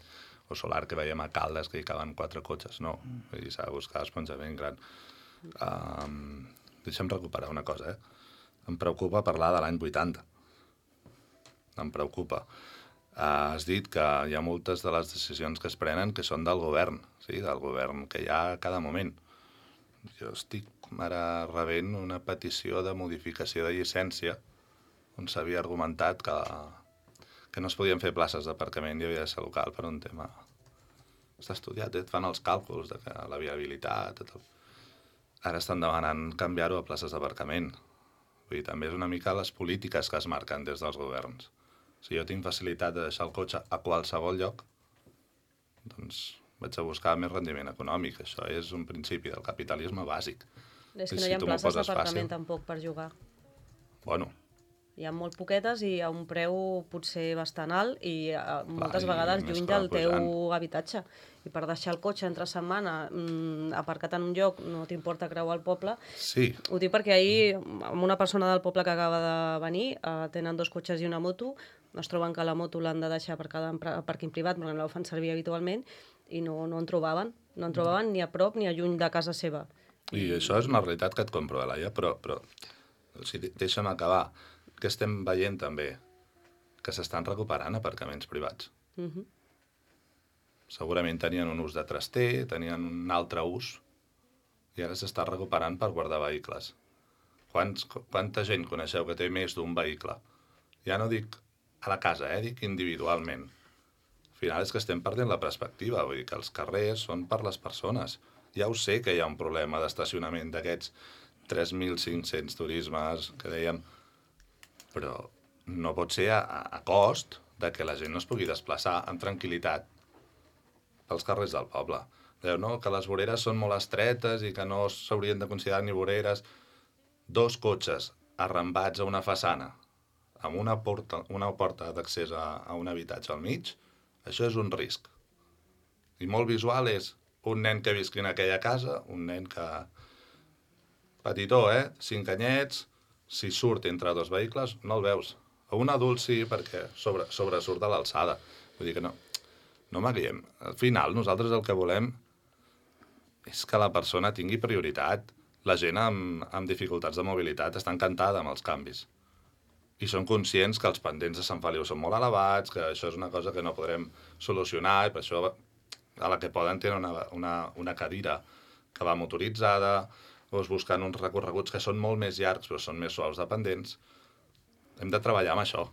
Speaker 4: o solar que veiem a Caldes, que hi caben quatre cotxes, no. Vull dir, s'ha de buscar esponjament gran. Um, deixa'm recuperar una cosa, eh? Em preocupa parlar de l'any vuitanta. Em preocupa. Uh, has dit que hi ha moltes de les decisions que es prenen que són del govern, sí? Del govern que hi ha a cada moment. Jo estic ara rebent una petició de modificació de llicència on s'havia argumentat que, que no es podien fer places d'aparcament i havia de ser local per un tema. Està estudiat, et fan els càlculs de que la viabilitat... Tot. Ara estan demanant canviar-ho a places d'aparcament. Vull dir, també és una mica les polítiques que es marquen des dels governs. Si jo tinc facilitat de deixar el cotxe a qualsevol lloc, doncs vaig a buscar més rendiment econòmic. Això és un principi del capitalisme bàsic.
Speaker 7: És que
Speaker 4: I
Speaker 7: no
Speaker 4: si
Speaker 7: hi ha
Speaker 4: tu m'ho
Speaker 7: places
Speaker 4: poses
Speaker 7: d'aparcament
Speaker 4: fàcil-
Speaker 7: tampoc per jugar.
Speaker 4: Bueno,
Speaker 7: Hi ha molt poquetes i a un preu potser bastant alt i eh, moltes
Speaker 4: i
Speaker 7: vegades
Speaker 4: més
Speaker 7: lluny
Speaker 4: que va
Speaker 7: del teu
Speaker 4: pujant.
Speaker 7: habitatge. I per deixar el cotxe entre setmana mm, aparcat en un lloc, no t'importa creuar el poble.
Speaker 4: sí,
Speaker 7: Ho dic perquè ahir, amb una persona del poble que acaba de venir, eh, tenen dos cotxes i una moto, es troben que la moto l'han de deixar aparcada en pra- parking privat, perquè no la fan servir habitualment, i no, no en trobaven. No en trobaven ni a prop ni a lluny de casa seva.
Speaker 4: i això és una realitat que et compro, Laia, però, però o sigui, deixa'm acabar. Que estem veient també que s'estan recuperant aparcaments privats.
Speaker 7: Uh -huh.
Speaker 4: Segurament tenien un ús de traster, tenien un altre ús, i ara s'està recuperant per guardar vehicles. Quants, quanta gent coneixeu que té més d'un vehicle? Ja no dic a la casa, eh? Dic individualment. Al final és que estem perdent la perspectiva, vull dir que els carrers són per les persones. Ja ho sé que hi ha un problema d'estacionament d'aquests tres mil cinc-cents turismes que dèiem, però no pot ser a, a cost de que la gent no es pugui desplaçar amb tranquil·litat pels carrers del poble. Deu, no? Que les voreres són molt estretes i que no s'haurien de considerar ni voreres. Dos cotxes arrambats a una façana amb una porta, una porta d'accés a, a un habitatge al mig, això és un risc. I molt visual és un nen que visqui en aquella casa, un nen que... petitó, eh? Cinc anyets, si surt entre dos vehicles, no el veus. A un adult sí, perquè sobre, sobresurt a l'alçada. Vull dir que no, no m'aguiem. Al final, nosaltres el que volem és que la persona tingui prioritat. La gent amb, amb dificultats de mobilitat està encantada amb els canvis. I són conscients que els pendents de Sant Feliu són molt elevats, que això és una cosa que no podrem solucionar, i per això a la que poden tenen una, una, una cadira que va motoritzada, o es busquen uns recorreguts que són molt més llargs però són més suaus de pendents. Hem de treballar amb això.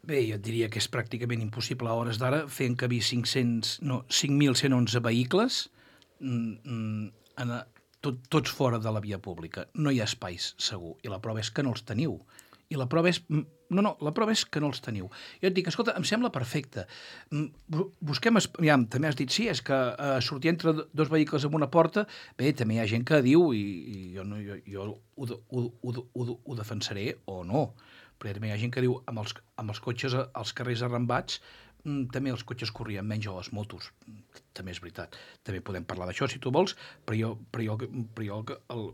Speaker 6: Bé, jo et diria que és pràcticament impossible a hores d'ara fer encabir cinc-cents, no, cinc mil cent onze vehicles mm, en, tot, tots fora de la via pública. No hi ha espais, segur. I la prova és que no els teniu. I la prova és... No, no, la prova és que no els teniu. Jo et dic, escolta, em sembla perfecte. Busquem... Ja, també has dit, sí, és que eh, sortir entre dos vehicles amb una porta, bé, també hi ha gent que diu, i, i jo, no, jo, jo ho, ho, ho, ho, ho defensaré o no, però també hi ha gent que diu, amb els, amb els cotxes als carrers arrambats, també els cotxes corrien menys o les motos. També és veritat. També podem parlar d'això, si tu vols, però jo, però jo, però jo el,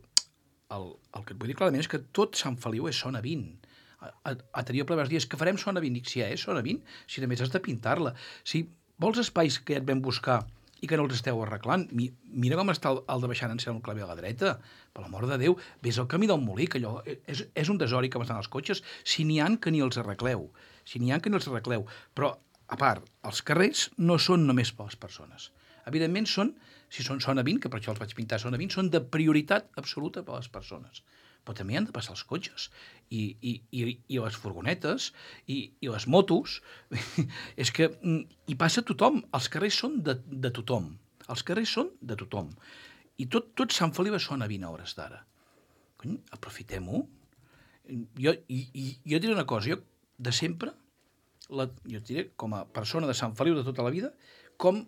Speaker 6: el, el que et vull dir clarament és que tot Sant Feliu és zona vint. A, a, a tenir ple vas dir, és que farem zona vint. Dic, si ja és zona vint, si només has de pintar-la. Si vols espais que ja et vam buscar i que no els esteu arreglant, mi, mira com està el, el de baixant en cel un clave a la dreta, per l'amor de Déu, ves al camí del Molí, que allò és, és un desori com estan els cotxes, si n'hi han que ni els arregleu, si n'hi han que ni els arregleu. Però, a part, els carrers no són només per les persones. Evidentment són, si són zona vint, que per això els vaig pintar zona vint, són de prioritat absoluta per a les persones. Però també han de passar els cotxes i, i, i, i les furgonetes i, i les motos. És que hi passa tothom. Els carrers són de, de tothom. Els carrers són de tothom. I tot, tot Sant Feliu és zona vint hores d'ara. Cony, aprofitem-ho. Jo, i, i, jo diré una cosa, jo de sempre, la, jo diré com a persona de Sant Feliu de tota la vida, com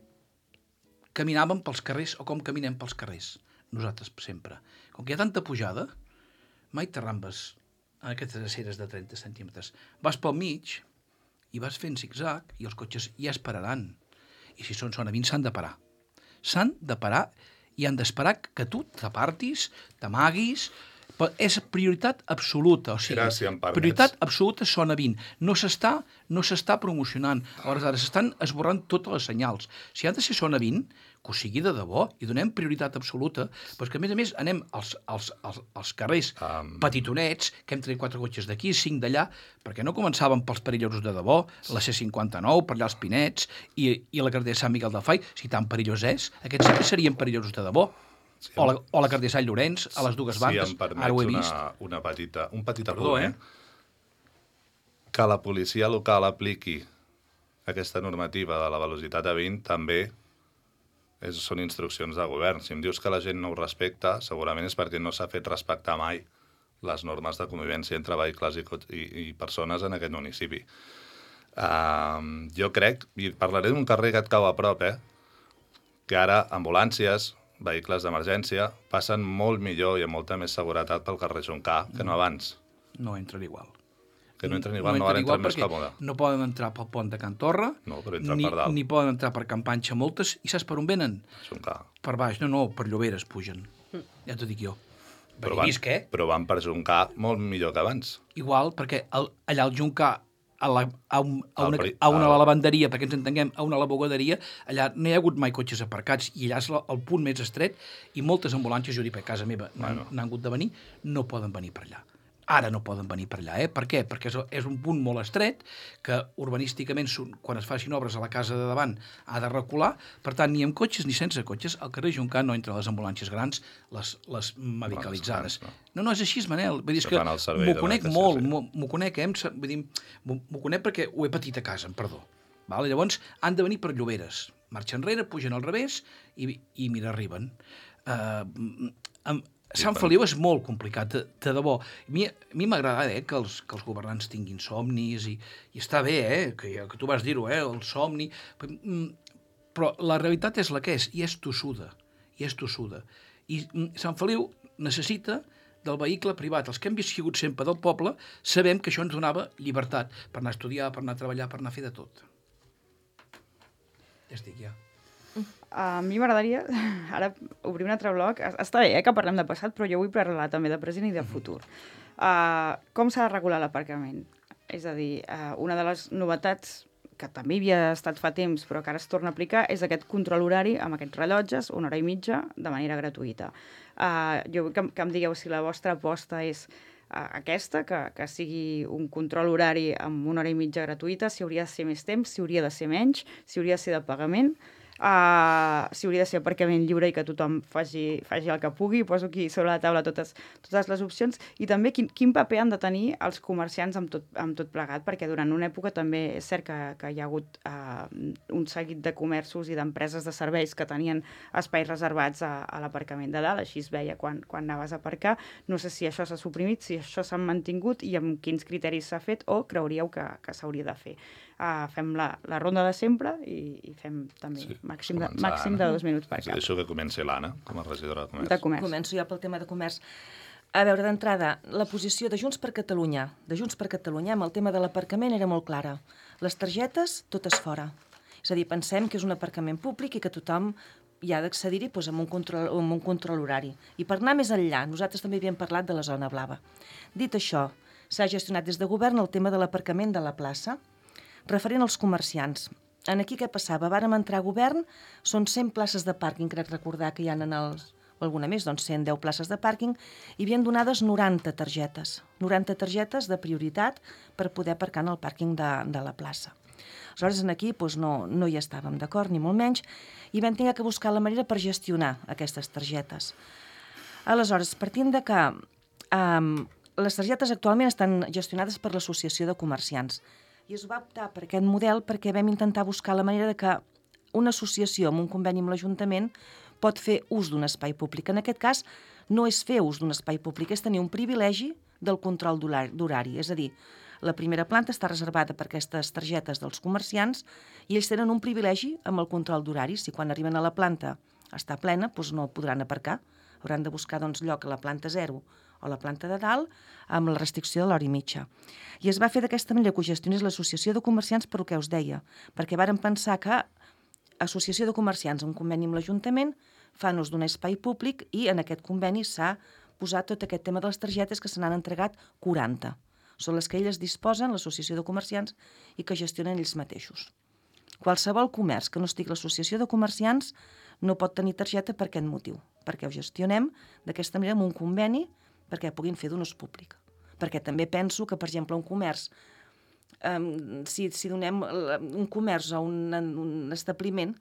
Speaker 6: caminàvem pels carrers o com caminem pels carrers. Nosaltres sempre. Com que hi ha tanta pujada, mai t'arrambes en aquestes aceres de trenta centímetres. Vas pel mig i vas fent zig-zag i els cotxes ja esperaran. I si són zona vint s'han de parar. S'han de parar i han d'esperar que tu t'apartis, t'amaguis, Però és prioritat absoluta, o sigui,
Speaker 4: Era, si em permets.
Speaker 6: prioritat absoluta zona vint. No s'està no s'està promocionant. Aleshores, s'estan esborrant totes les senyals. Si ha de ser zona vint, que ho sigui de debò, i donem prioritat absoluta, però que, a més a més, anem als, als, als, als carrers
Speaker 4: Um.
Speaker 6: petitonets, que hem tret quatre cotxes d'aquí, cinc d'allà, perquè no començàvem pels perillosos de debò, la C cinquanta-nou, per allà els Pinets, i, i la carretera de Sant Miquel del Fai, si tan perillós és, aquests sí que serien perillosos de debò. Sí, o, la, o la carretera de Sant Llorenç, a les dues bandes,
Speaker 4: si em
Speaker 6: ara ho he
Speaker 4: permets
Speaker 6: vist.
Speaker 4: una, una petita, un petit
Speaker 6: Perdó,
Speaker 4: apunt,
Speaker 6: eh?
Speaker 4: eh? Que la policia local apliqui aquesta normativa de la velocitat a vint també és, són instruccions de govern. Si em dius que la gent no ho respecta, segurament és perquè no s'ha fet respectar mai les normes de convivència entre vehicles i, i, i persones en aquest municipi. Uh, jo crec, i parlaré d'un carrer que et cau a prop, eh? Que ara ambulàncies, vehicles d'emergència, passen molt millor i amb molta més seguretat pel carrer Juncà que no abans.
Speaker 6: No entren igual.
Speaker 4: Que no entren igual, no, no ara entren més còmode.
Speaker 6: No poden entrar pel pont de Can Torra,
Speaker 4: no, però entren
Speaker 6: ni,
Speaker 4: per dalt.
Speaker 6: ni poden entrar per Can Panxa moltes, i saps per on venen?
Speaker 4: Juncà.
Speaker 6: Per baix, no, no, per Lloberes pugen. Mm. Ja t'ho dic jo.
Speaker 4: Però
Speaker 6: Perquè
Speaker 4: van,
Speaker 6: visc, eh?
Speaker 4: però van per Juncà molt millor que abans.
Speaker 6: Igual, perquè el, allà al Juncà, a, la, a, un, a, una,
Speaker 4: El,
Speaker 6: a una
Speaker 4: el,
Speaker 6: lavanderia, perquè ens entenguem, a una lavabogaderia, allà no hi ha hagut mai cotxes aparcats, i allà és la, el punt més estret, i moltes ambulàncies, jo dic, per casa meva, n'han bueno. hagut de venir, no poden venir per allà. Ara no poden venir per allà, eh? Per què? Perquè és, és un punt molt estret, que urbanísticament, quan es facin obres a la casa de davant, ha de recular, per tant, ni amb cotxes ni sense cotxes, al carrer Juncà no entren les ambulàncies grans, les, les medicalitzades. No, no, no és així, Manel. Vull dir, és que m'ho conec molt, m'ho conec, eh? Vull dir, m'ho conec perquè ho he patit a casa, perdó. Val? Llavors, han de venir per Lloberes. Marxa enrere, pugen al revés i, i mira, arriben. Uh, amb, Sant Feliu és molt complicat, de, de debò. A mi, a mi m'agrada eh, que, els, que els governants tinguin somnis, i, i està bé, eh, que, que tu vas dir-ho, eh, el somni, però la realitat és la que és, i és tossuda, i és tossuda. I Sant Feliu necessita del vehicle privat. Els que hem viscut sempre del poble sabem que això ens donava llibertat per anar a estudiar, per anar a treballar, per anar a fer de tot. Ja estic, ja.
Speaker 2: A mi m'agradaria ara obrir un altre bloc. Està bé eh, que parlem de passat, però jo vull parlar també de present i de futur. Uh, com s'ha de regular l'aparcament? És a dir, uh, una de les novetats que també havia estat fa temps, però que ara es torna a aplicar, és aquest control horari amb aquests rellotges, una hora i mitja, de manera gratuïta. Uh, jo vull que, que em digueu si la vostra aposta és uh, aquesta, que, que sigui un control horari amb una hora i mitja gratuïta, si hauria de ser més temps, si hauria de ser menys, si hauria de ser de pagament, Uh, si hauria de ser aparcament lliure i que tothom faci, faci el que pugui. Poso aquí sobre la taula totes, totes les opcions, i també quin, quin paper han de tenir els comerciants amb tot, amb tot plegat, perquè durant una època també és cert que, que hi ha hagut uh, un seguit de comerços i d'empreses de serveis que tenien espais reservats a, a l'aparcament de dalt, així es veia quan, quan anaves a aparcar. No sé si això s'ha suprimit, si això s'ha mantingut i amb quins criteris s'ha fet, o creuríeu que, que s'hauria de fer. Uh, fem la, la ronda de sempre i, i fem també sí, màxim, de, màxim de dos minuts per cap.
Speaker 4: Deixo que comenci l'Anna, com a regidora de comerç.
Speaker 2: de comerç.
Speaker 5: Començo jo pel tema de comerç. A veure, d'entrada, la posició de Junts per Catalunya, de Junts per Catalunya amb el tema de l'aparcament era molt clara. Les targetes, totes fora. És a dir, pensem que és un aparcament públic i que tothom hi ha d'accedir-hi doncs, amb, un control, amb un control horari. I per anar més enllà, nosaltres també havíem parlat de la zona blava. Dit això, s'ha gestionat des de govern el tema de l'aparcament de la plaça, referent als comerciants. En aquí què passava? Vàrem entrar a govern, són cent places de pàrquing, crec recordar que hi ha en els, o alguna més, doncs cent deu places de pàrquing, i havien donades noranta targetes, noranta targetes de prioritat per poder aparcar en el pàrquing de, de la plaça. Aleshores, aquí doncs, no, no hi estàvem d'acord, ni molt menys, i vam haver que buscar la manera per gestionar aquestes targetes. Aleshores, partint de que um, les targetes actualment estan gestionades per l'Associació de Comerciants, i es va optar per aquest model perquè vam intentar buscar la manera de que una associació amb un conveni amb l'Ajuntament pot fer ús d'un espai públic. En aquest cas, no és fer ús d'un espai públic, és tenir un privilegi del control d'horari. És a dir, la primera planta està reservada per aquestes targetes dels comerciants i ells tenen un privilegi amb el control d'horari. Si quan arriben a la planta està plena, doncs no podran aparcar. Hauran de buscar doncs, lloc a la planta zero o la planta de dalt, amb la restricció de l'hora i mitja. I es va fer d'aquesta manera que ho gestionés l'Associació de Comerciants per el que us deia, perquè vàrem pensar que Associació de Comerciants, en conveni amb l'Ajuntament, fan ús d'un espai públic i en aquest conveni s'ha posar tot aquest tema de les targetes que se n'han entregat quaranta. Són les que elles disposen, l'associació de comerciants, i que gestionen ells mateixos. Qualsevol comerç que no estigui a l'associació de comerciants no pot tenir targeta per aquest motiu, perquè ho gestionem d'aquesta manera amb un conveni perquè puguin fer d'un ús públic. Perquè també penso que, per exemple, un comerç, um, si, si donem un comerç a un, un establiment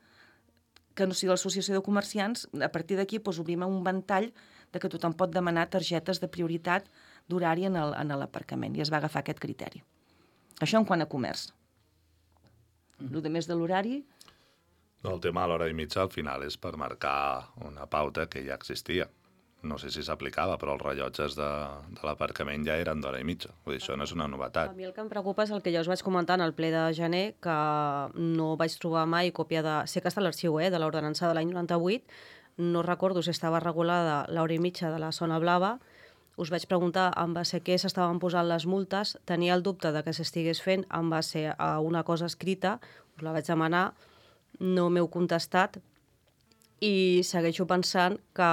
Speaker 5: que no sigui l'associació de comerciants, a partir d'aquí doncs, obrim un ventall de que tothom pot demanar targetes de prioritat d'horari en l'aparcament, i es va agafar aquest criteri. Això en quant a comerç. El de més de l'horari...
Speaker 4: No, el tema de l'hora i mitja al final és per marcar una pauta que ja existia. No sé si s'aplicava, però els rellotges de, de l'aparcament ja eren d'hora i mitja. Vull dir, això no és una novetat.
Speaker 7: A mi el que em preocupa és el que ja us vaig comentar en el ple de gener, que no vaig trobar mai còpia de... Sé que està a l'arxiu, eh, de l'ordenança de l'any noranta-vuit, no recordo si estava regulada l'hora i mitja de la zona blava. Us vaig preguntar en base a què s'estaven posant les multes, tenia el dubte de que s'estigués fent en base a una cosa escrita, us la vaig demanar, no m'heu contestat, i segueixo pensant que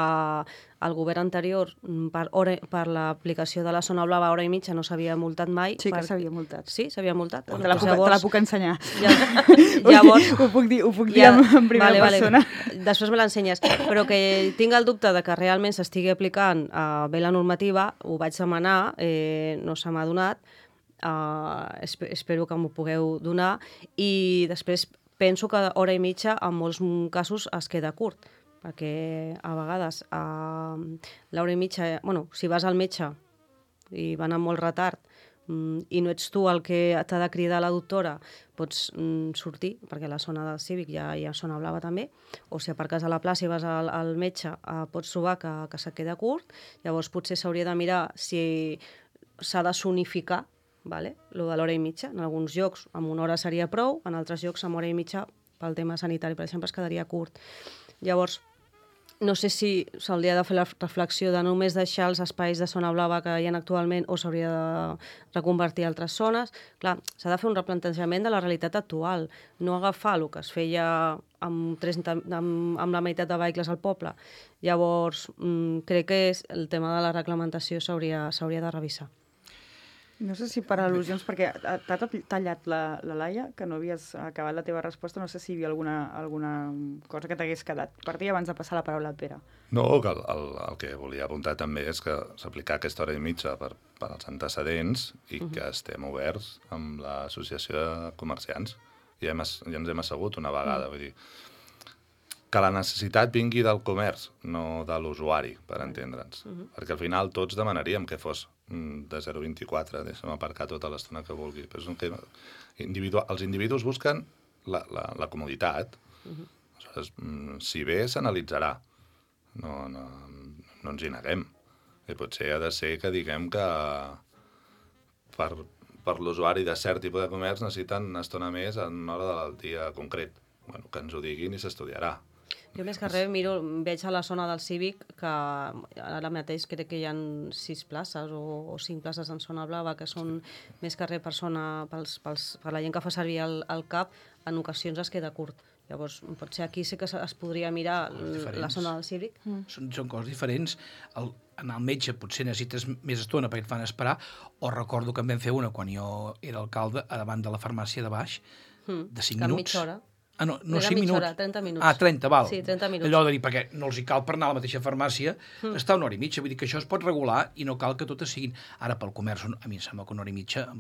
Speaker 7: el govern anterior, per, hora, per l'aplicació de la zona blava hora i mitja, no s'havia multat mai.
Speaker 2: Sí que
Speaker 7: per...
Speaker 2: s'havia multat.
Speaker 7: Sí, s'havia multat.
Speaker 2: Te la, puc, te la puc ensenyar.
Speaker 7: Ja, llavors...
Speaker 2: ho puc dir, ho puc dir
Speaker 7: ja,
Speaker 2: en, en primera
Speaker 7: vale,
Speaker 2: persona.
Speaker 7: Vale. Després me l'ensenyes. Però que tinc el dubte de que realment s'estigui aplicant uh, bé la normativa, ho vaig demanar, eh, no se m'ha donat, uh, esp espero que m'ho pugueu donar, i després penso que hora i mitja en molts casos es queda curt, perquè a vegades uh, l'hora i mitja, bueno, si vas al metge i van amb molt retard um, i no ets tu el que t'ha de cridar la doctora, pots um, sortir, perquè a la zona del Cívic ja hi ha zona blava també, o si aparques a la plaça i vas al, al metge, uh, pots trobar que, que se queda curt, llavors potser s'hauria de mirar si s'ha de sonificar, vale? Lo de l'hora i mitja. En alguns llocs amb una hora seria prou, en altres llocs amb hora i mitja, pel tema sanitari, per exemple, es quedaria curt. Llavors, no sé si s'hauria de fer la reflexió de només deixar els espais de zona blava que hi ha actualment o s'hauria de reconvertir a altres zones. Clar, s'ha de fer un replantejament de la realitat actual, no agafar el que es feia amb, trenta, amb, amb la meitat de vehicles al poble. Llavors, mmm, crec que és el tema de la reglamentació s'hauria de revisar.
Speaker 2: No sé si per al·lusions, perquè t'ha tallat la, la Laia, que no havies acabat la teva resposta, no sé si hi havia alguna, alguna cosa que t'hagués quedat per dir abans de passar la paraula al Pere.
Speaker 4: No, que el, el, el que volia apuntar també és que s'aplicar aquesta hora i mitja per, per als antecedents i uh -huh. que estem oberts amb l'associació de comerciants. Ja, hem, ja ens hem assegut una vegada, uh -huh. vull dir, que la necessitat vingui del comerç, no de l'usuari, per entendre'ns. Uh -huh. Perquè al final tots demanaríem que fos de zero coma vint-i-quatre, deixa'm aparcar tota l'estona que vulgui. Però és un tema individual. Els individus busquen la, la, la comoditat. Uh-huh. Aleshores, si bé s'analitzarà, no, no, no ens hi neguem. I potser ha de ser que diguem que per, per l'usuari de cert tipus de comerç necessiten una estona més en una hora del dia concret. Bueno, que ens ho diguin i s'estudiarà.
Speaker 7: Jo més que res miro, veig a la zona del Cívic que ara mateix crec que hi ha sis places o, o cinc places en zona blava que són sí. més que res per, zona, pels, pels, per la gent que fa servir el, el C A P, en ocasions es queda curt. Llavors, potser aquí sí que es podria mirar la zona del Cívic.
Speaker 6: Mm. Són, són coses diferents. El, en el metge potser necessites més estona perquè et fan esperar, o recordo que en vam fer una quan jo era alcalde a davant de la farmàcia de baix, mm. de cinc minuts.
Speaker 7: Mitja hora.
Speaker 6: Ah, no, no
Speaker 7: Era
Speaker 6: cinc minuts.
Speaker 7: Hora, trenta minuts.
Speaker 6: Ah, trenta, val.
Speaker 7: Sí, trenta minuts.
Speaker 6: Allò de dir, perquè no els hi cal per anar a la mateixa farmàcia, mm. està una hora i mitja. Vull dir que això es pot regular i no cal que totes siguin... Ara, pel comerç, a mi em sembla que una hora i mitja...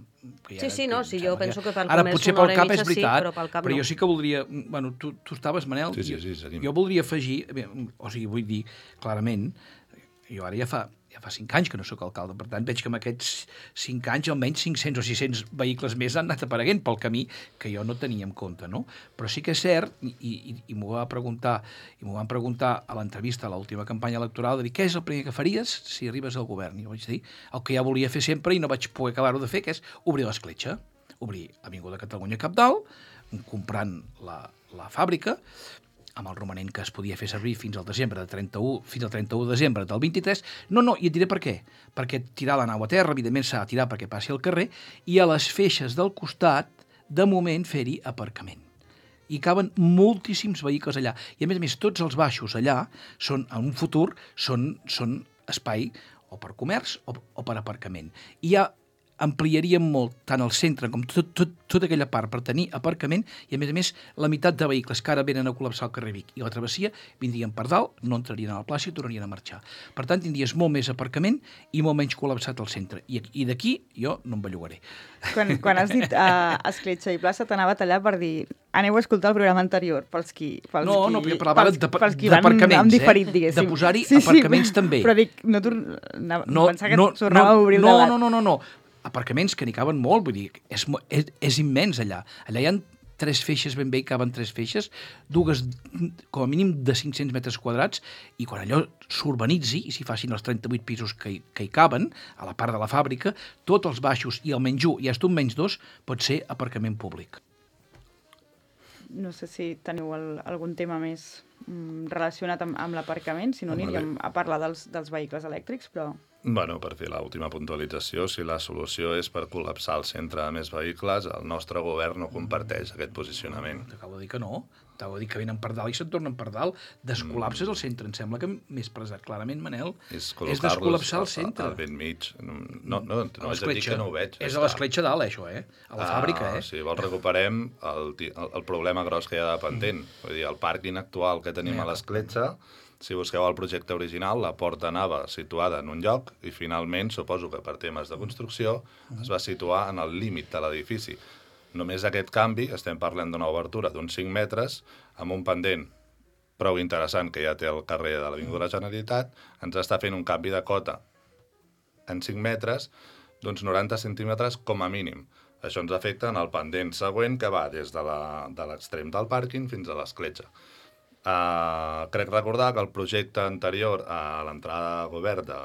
Speaker 6: Que ja
Speaker 7: sí, sí, no, sí, jo penso que pel
Speaker 6: ara,
Speaker 7: comerç
Speaker 6: potser
Speaker 7: una hora
Speaker 6: pel cap
Speaker 7: i mitja
Speaker 6: és veritat,
Speaker 7: sí, però pel cap
Speaker 6: però
Speaker 7: no.
Speaker 6: jo sí que voldria... Bueno, tu, tu estaves, Manel?
Speaker 4: Sí, sí, sí, seguim.
Speaker 6: Jo voldria afegir... O sigui, vull dir, clarament, jo ara ja fa... ja fa cinc anys que no sóc alcalde, per tant veig que en aquests cinc anys almenys cinc-cents o sis-cents vehicles més han anat apareguent pel camí que jo no tenia en compte, no? Però sí que és cert, i, i, i m'ho va preguntar, i m'ho van preguntar a l'entrevista a l'última campanya electoral, de dir, què és el primer que faries si arribes al govern? I jo vaig dir, el que ja volia fer sempre i no vaig poder acabar-ho de fer, que és obrir l'escletxa, obrir Avinguda Catalunya Cabdal, comprant la, la fàbrica, amb el romanent que es podia fer servir fins al desembre de trenta-u, fins al trenta-u de desembre del vint-i-tres. No, no, i et diré per què. Perquè tirar la nau a terra, evidentment s'ha de tirar perquè passi al carrer, i a les feixes del costat, de moment, fer-hi aparcament. I caben moltíssims vehicles allà. I a més a més, tots els baixos allà, són, en un futur, són, són espai o per comerç o, o per aparcament. I ja ampliaríem molt tant el centre com tot, tot, tota aquella part per tenir aparcament i, a més a més, la meitat de vehicles que ara venen a col·lapsar el carrer Vic i la travessia vindrien per dalt, no entrarien a la plaça i tornarien a marxar. Per tant, tindries molt més aparcament i molt menys col·lapsat el centre. I, i d'aquí jo no em bellugaré.
Speaker 2: Quan, quan has dit uh, escletxa i plaça, t'anava a tallar per dir aneu a escoltar el programa anterior, pels qui, pels
Speaker 6: no,
Speaker 2: qui,
Speaker 6: no, jo parlava
Speaker 2: pels,
Speaker 6: de,
Speaker 2: pels qui van amb diferit, diguéssim.
Speaker 6: De posar-hi sí, aparcaments
Speaker 2: sí,
Speaker 6: també.
Speaker 2: Però dic, no, no, no pensar que
Speaker 6: no,
Speaker 2: tornava
Speaker 6: no,
Speaker 2: a obrir el
Speaker 6: no,
Speaker 2: debat.
Speaker 6: No, no, no, no. Aparcaments que n'hi caben molt, vull dir, és, és, és immens allà. Allà hi ha tres feixes, ben bé hi caben tres feixes, dues com a mínim de cinc-cents metres quadrats, i quan allò s'urbanitzi, i s'hi facin els trenta-vuit pisos que hi, que hi caben, a la part de la fàbrica, tots els baixos i el menys un i fins un menys dos pot ser aparcament públic.
Speaker 2: No sé si teniu el, algun tema més mm, relacionat amb, amb l'aparcament, si no aniríem a parlar dels, dels vehicles elèctrics, però...
Speaker 4: Bueno, per fer l'última puntualització, si la solució és per col·lapsar el centre de més vehicles, el nostre govern no comparteix aquest posicionament.
Speaker 6: T'acabo de dir que no. T'acabo de dir que venen per dalt i se'n tornen per dalt. Descol·lapses el centre. Em sembla que m'he expressat clarament, Manel.
Speaker 4: És,
Speaker 6: és descol·lapsar el centre.
Speaker 4: Al ben mig. No, no, no, no haig de dir que no ho veig.
Speaker 6: És a l'escletxa dalt, això, eh? A la ah, fàbrica, eh?
Speaker 4: Si vols recuperem el, el, el problema gros que hi ha de pendent. Mm. Vull dir, el pàrquing actual que tenim a l'escletxa, si busqueu el projecte original, la porta anava situada en un lloc i finalment, suposo que per temes de construcció, es va situar en el límit de l'edifici. Només aquest canvi, estem parlant d'una obertura d'uns cinc metres, amb un pendent prou interessant que ja té el carrer de l'Avinguda de la Generalitat, ens està fent un canvi de cota en cinc metres d'uns noranta centímetres com a mínim. Això ens afecta en el pendent següent que va des de l'extrem de del pàrquing fins a l'escletxa. Uh, crec recordar que el projecte anterior a l'entrada a govern de,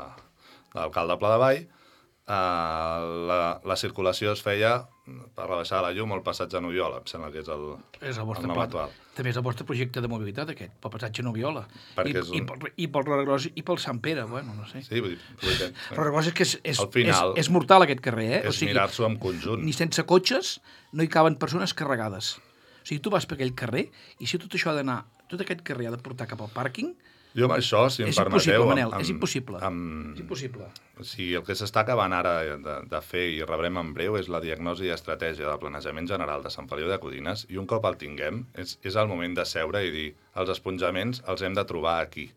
Speaker 4: de l'alcalde Pla de Vall, uh, la, la circulació es feia per rebaixar la llum al passatge Noviola, em sembla que és el,
Speaker 6: és el,
Speaker 4: el nom actual.
Speaker 6: També és el vostre projecte de mobilitat, aquest, pel passatge Noviola. I,
Speaker 4: és un...
Speaker 6: i, pel, I pel Roragros i pel Sant Pere, bueno, no sé.
Speaker 4: Sí, vull dir... Vull dir
Speaker 6: Roragros és que és, és,
Speaker 4: final,
Speaker 6: és, és mortal, aquest carrer, eh?
Speaker 4: És
Speaker 6: o sigui,
Speaker 4: mirar-s'ho en conjunt.
Speaker 6: Ni sense cotxes no hi caben persones carregades. O sigui, tu vas per aquell carrer i si tot això ha d'anar, tot aquest carrer ha de portar cap al pàrquing...
Speaker 4: Jo amb això, si em
Speaker 6: és
Speaker 4: permeteu...
Speaker 6: Impossible, Manel,
Speaker 4: amb,
Speaker 6: és impossible,
Speaker 4: amb,
Speaker 6: és impossible.
Speaker 4: Si el que s'està acabant ara de, de fer i rebrem en breu és la diagnosi i estratègia de planejament general de Sant Feliu de Codines i un cop el tinguem és, és el moment de seure i dir els esponjaments els hem de trobar aquí.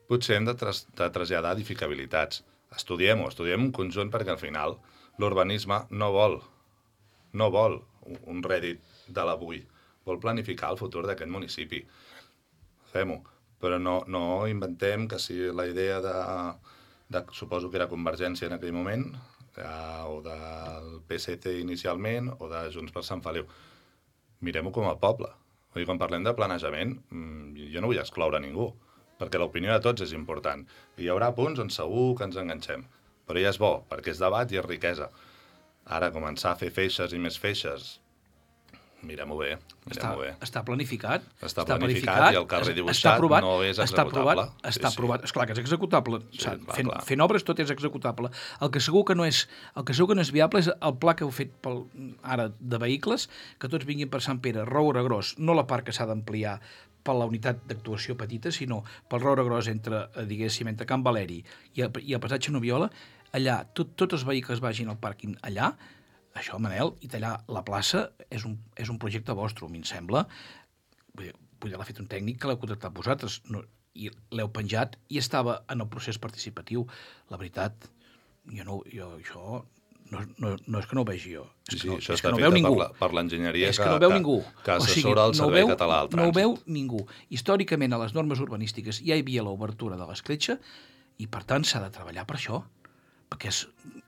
Speaker 4: Potser hem de, tras, de traslladar edificabilitats. Estudiem-ho, estudiem un conjunt perquè al final l'urbanisme no vol, no vol un rèdit de l'avui, vol planificar el futur d'aquest municipi. Fem-ho, però no, no inventem que si la idea de, de, suposo que era Convergència en aquell moment, eh, o del P S C inicialment, o de Junts per Sant Feliu. Mirem-ho com a poble. Vull dir, quan parlem de planejament, jo no vull excloure ningú, perquè l'opinió de tots és important. I hi haurà punts on segur que ens enganxem, però ja és bo, perquè és debat i és riquesa. Ara, començar a fer feixes i més feixes, mirem-ho bé, mirem-ho bé.
Speaker 6: Està planificat.
Speaker 4: Està, està planificat, planificat i el carrer dibuixat
Speaker 6: aprovat,
Speaker 4: no és
Speaker 6: està
Speaker 4: executable.
Speaker 6: Aprovat, està sí, aprovat. Sí. Esclar que és executable.
Speaker 4: Sí, clar,
Speaker 6: fent,
Speaker 4: clar.
Speaker 6: fent obres tot és executable. El que segur que no és, el que segur que no és viable és el pla que heu fet pel, ara de vehicles, que tots vinguin per Sant Pere, Roure Gros, no la part que s'ha d'ampliar per la unitat d'actuació petita, sinó pel Roure Gros entre, diguéssim, entre Can Valeri i el, i el passatge Noviola, allà, tot, tots els vehicles vagin al pàrquing allà. Això, Manel, i tallar la plaça és un, és un projecte vostre, a mi em sembla. Vull l'ha fet un tècnic que l'heu contractat vosaltres, no, i l'heu penjat i estava en el procés participatiu. La veritat, jo no, jo, això no, no, no és que no ho vegi jo. És
Speaker 4: sí,
Speaker 6: que no,
Speaker 4: això
Speaker 6: és
Speaker 4: està
Speaker 6: que no
Speaker 4: fet
Speaker 6: veu ningú.
Speaker 4: per, per l'enginyeria que,
Speaker 6: que, no veu
Speaker 4: que,
Speaker 6: ningú.
Speaker 4: que assessora
Speaker 6: o sigui,
Speaker 4: el Servei
Speaker 6: no veu,
Speaker 4: Català del
Speaker 6: No
Speaker 4: Trànsit.
Speaker 6: ho veu ningú. Històricament, a les normes urbanístiques ja hi havia l'obertura de l'escletxa i, per tant, s'ha de treballar per això. Perquè és...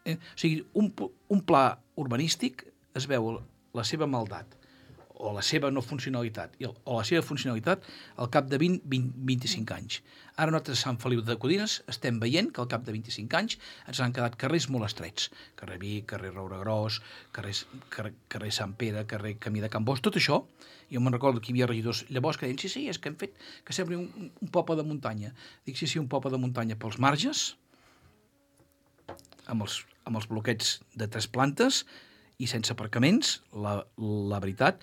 Speaker 6: Eh, o sigui, un, un pla urbanístic es veu la seva maldat o la seva no funcionalitat o la seva funcionalitat al cap de vint a vint-i-cinc anys. Ara nosaltres a Sant Feliu de Codines estem veient que al cap de vint-i-cinc anys ens han quedat carrers molt estrets. Carrer Vic, carrer Roure Gros, carrer, carrer, carrer Sant Pere, carrer Camí de Can Bos, tot això. Jo me'n recordo que hi havia regidors llavors que deien sí, sí, és que hem fet que sembli un, un poble de muntanya. Dic sí, sí, un poble de muntanya pels marges, amb els, amb els bloquets de tres plantes i sense aparcaments. La, la veritat,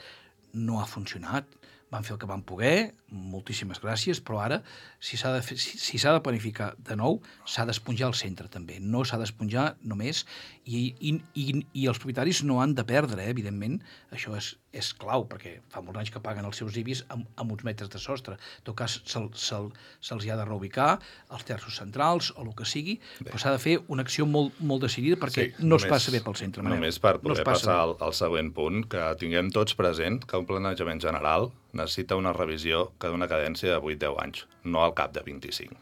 Speaker 6: no ha funcionat. Van fer el que van poder, moltíssimes gràcies, però ara, si s'ha de, fer, si, si s'ha de planificar de nou, s'ha d'esponjar el centre, també. No s'ha d'esponjar només, i, i, i, i els propietaris no han de perdre, eh, evidentment. Això és, és clau, perquè fa molts anys que paguen els seus I B I S amb, amb uns metres de sostre. En tot cas, se'ls se, se ha de reubicar, els terços centrals, o el que sigui, bé, però s'ha de fer una acció molt, molt decidida, perquè sí, no només, es passa bé pel centre. Manel.
Speaker 4: Només per poder no passar al, al següent punt, que tinguem tots present que un planejament general necessita una revisió que d'una cadència de vuit a deu anys, no al cap de vint-i-cinc.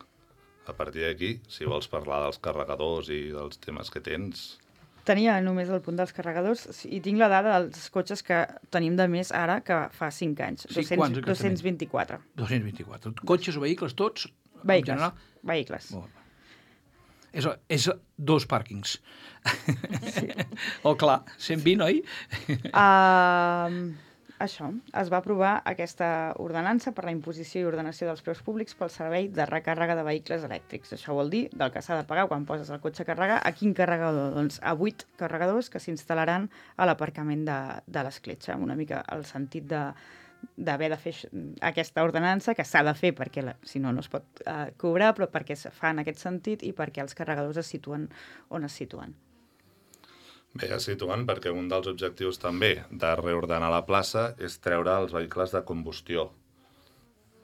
Speaker 4: A partir d'aquí, si vols parlar dels carregadors i dels temes que tens...
Speaker 2: Tenia només el punt dels carregadors i tinc la dada dels cotxes que tenim de més ara que fa cinc anys.
Speaker 6: Sí, quants,
Speaker 2: dos-cents vint-i-quatre.
Speaker 6: dos-cents vint-i-quatre. Cotxes o vehicles tots?
Speaker 2: Vehicles.
Speaker 6: En general?
Speaker 2: Vehicles.
Speaker 6: Bon. És, és dos pàrquings.
Speaker 2: Sí.
Speaker 6: Oh, clar, cent vint, oi?
Speaker 2: Uh, això, es va aprovar aquesta ordenança per la imposició i ordenació dels preus públics pel servei de recàrrega de vehicles elèctrics. Això vol dir del que s'ha de pagar quan poses el cotxe a carregar. A quin carregador? Doncs a vuit carregadors que s'instal·laran a l'aparcament de, de l'escletxa. Una mica el sentit de d'haver de fer aquesta ordenança, que s'ha de fer perquè la, si no no es pot uh, cobrar, però perquè es fa en aquest sentit i perquè els carregadors es situen on es situen.
Speaker 4: Bé, es situen perquè un dels objectius també de reordenar la plaça és treure els vehicles de combustió.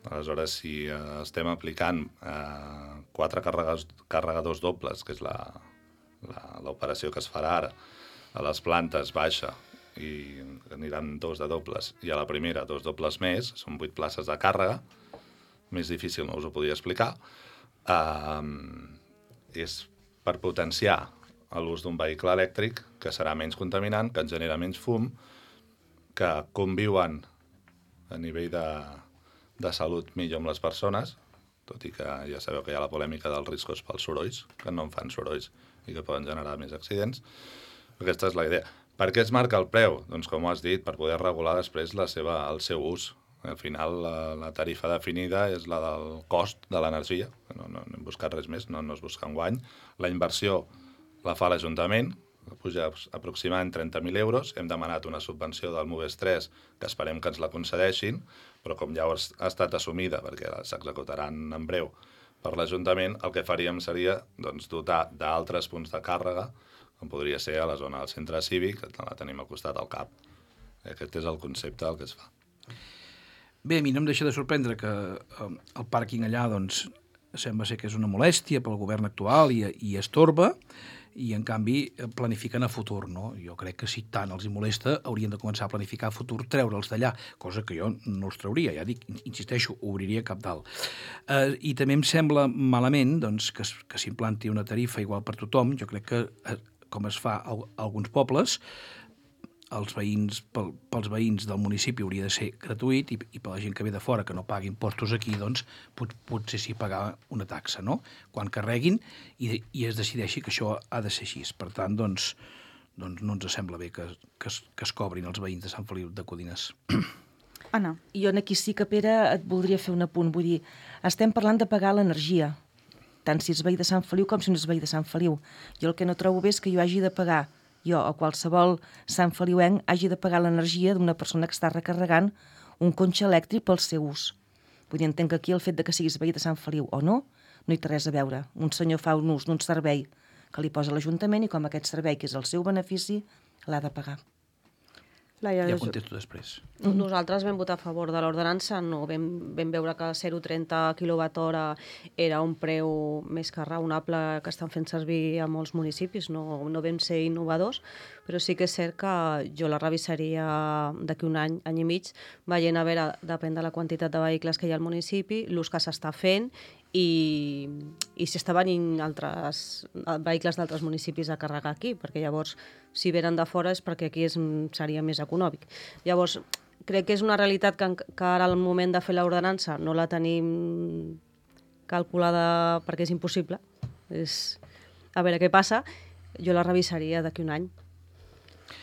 Speaker 4: Aleshores, si eh, estem aplicant eh, quatre carregadors, carregadors dobles, que és l'operació que es farà ara, a les plantes baixa, i aniran dos de dobles, i a la primera dos dobles més, són vuit places de càrrega, més difícil no us ho podia explicar, eh, és per potenciar l'ús d'un vehicle elèctric que serà menys contaminant, que ens genera menys fum, que conviuen a nivell de, de salut millor amb les persones, tot i que ja sabeu que hi ha la polèmica dels riscos pels sorolls, que no en fan sorolls i que poden generar més accidents. Aquesta és la idea. Per què es marca el preu? Doncs, com has dit, per poder regular després la seva, el seu ús. Al final, la, la tarifa definida és la del cost de l'energia. No, no, no hem buscat res més, no, no es busca un guany. La inversió la fa l'Ajuntament, puja aproximadament trenta mil euros. Hem demanat una subvenció del MOVES tres, que esperem que ens la concedeixin, però com ja ha estat assumida, perquè s'executaran en breu per l'Ajuntament, el que faríem seria doncs, dotar d'altres punts de càrrega, com podria ser a la zona del centre cívic, que la tenim al costat del C A P. Aquest és el concepte del que es fa.
Speaker 6: Bé, a mi no em deixa de sorprendre que el pàrquing allà doncs, sembla ser que és una molèstia pel govern actual i, i estorba, i en canvi planifiquen a futur, no? Jo crec que si tant els hi molesta haurien de començar a planificar a futur, treure'ls d'allà, cosa que jo no els trauria, ja dic, insisteixo, obriria cap dalt. Eh, I també em sembla malament doncs, que, que s'implanti una tarifa igual per tothom. Jo crec que, eh, com es fa a alguns pobles, els veïns, pel, pels veïns del municipi hauria de ser gratuït i, i per la gent que ve de fora, que no pagui impostos aquí, doncs pot, potser sí pagar una taxa, no? Quan carreguin i, i es decideixi que això ha de ser així. Per tant, doncs, doncs no ens sembla bé que, que, es, que es cobrin els veïns de Sant Feliu de Codines.
Speaker 2: Anna.
Speaker 5: Jo aquí sí que, Pere, et voldria fer un apunt. Vull dir, estem parlant de pagar l'energia, tant si és veí de Sant Feliu com si no és veí de Sant Feliu. Jo el que no trobo bé és que jo hagi de pagar jo o qualsevol Sant Feliuenc hagi de pagar l'energia d'una persona que està recarregant un cotxe elèctric pel seu ús. Vull dir, entenc que aquí el fet de que siguis veí de Sant Feliu o no, no hi té res a veure. Un senyor fa un ús d'un servei que li posa l'Ajuntament i com aquest servei, que és el seu benefici, l'ha de pagar.
Speaker 2: Laia,
Speaker 6: ja contesto després.
Speaker 7: Nosaltres vam votar a favor de l'ordenança, no vam, vam veure que zero coma trenta quilowatt hora era un preu més que raonable que estan fent servir a molts municipis, no, no vam ser innovadors, però sí que és cert que jo la revisaria d'aquí un any, any i mig, veient a veure, depèn de la quantitat de vehicles que hi ha al municipi, l'ús que s'està fent i, i si està venint altres vehicles d'altres municipis a carregar aquí, perquè llavors si venen de fora és perquè aquí és, seria més econòmic. Llavors, crec que és una realitat que, que ara al moment de fer l'ordenança no la tenim calculada perquè és impossible. És, a veure què passa, jo la revisaria d'aquí un any.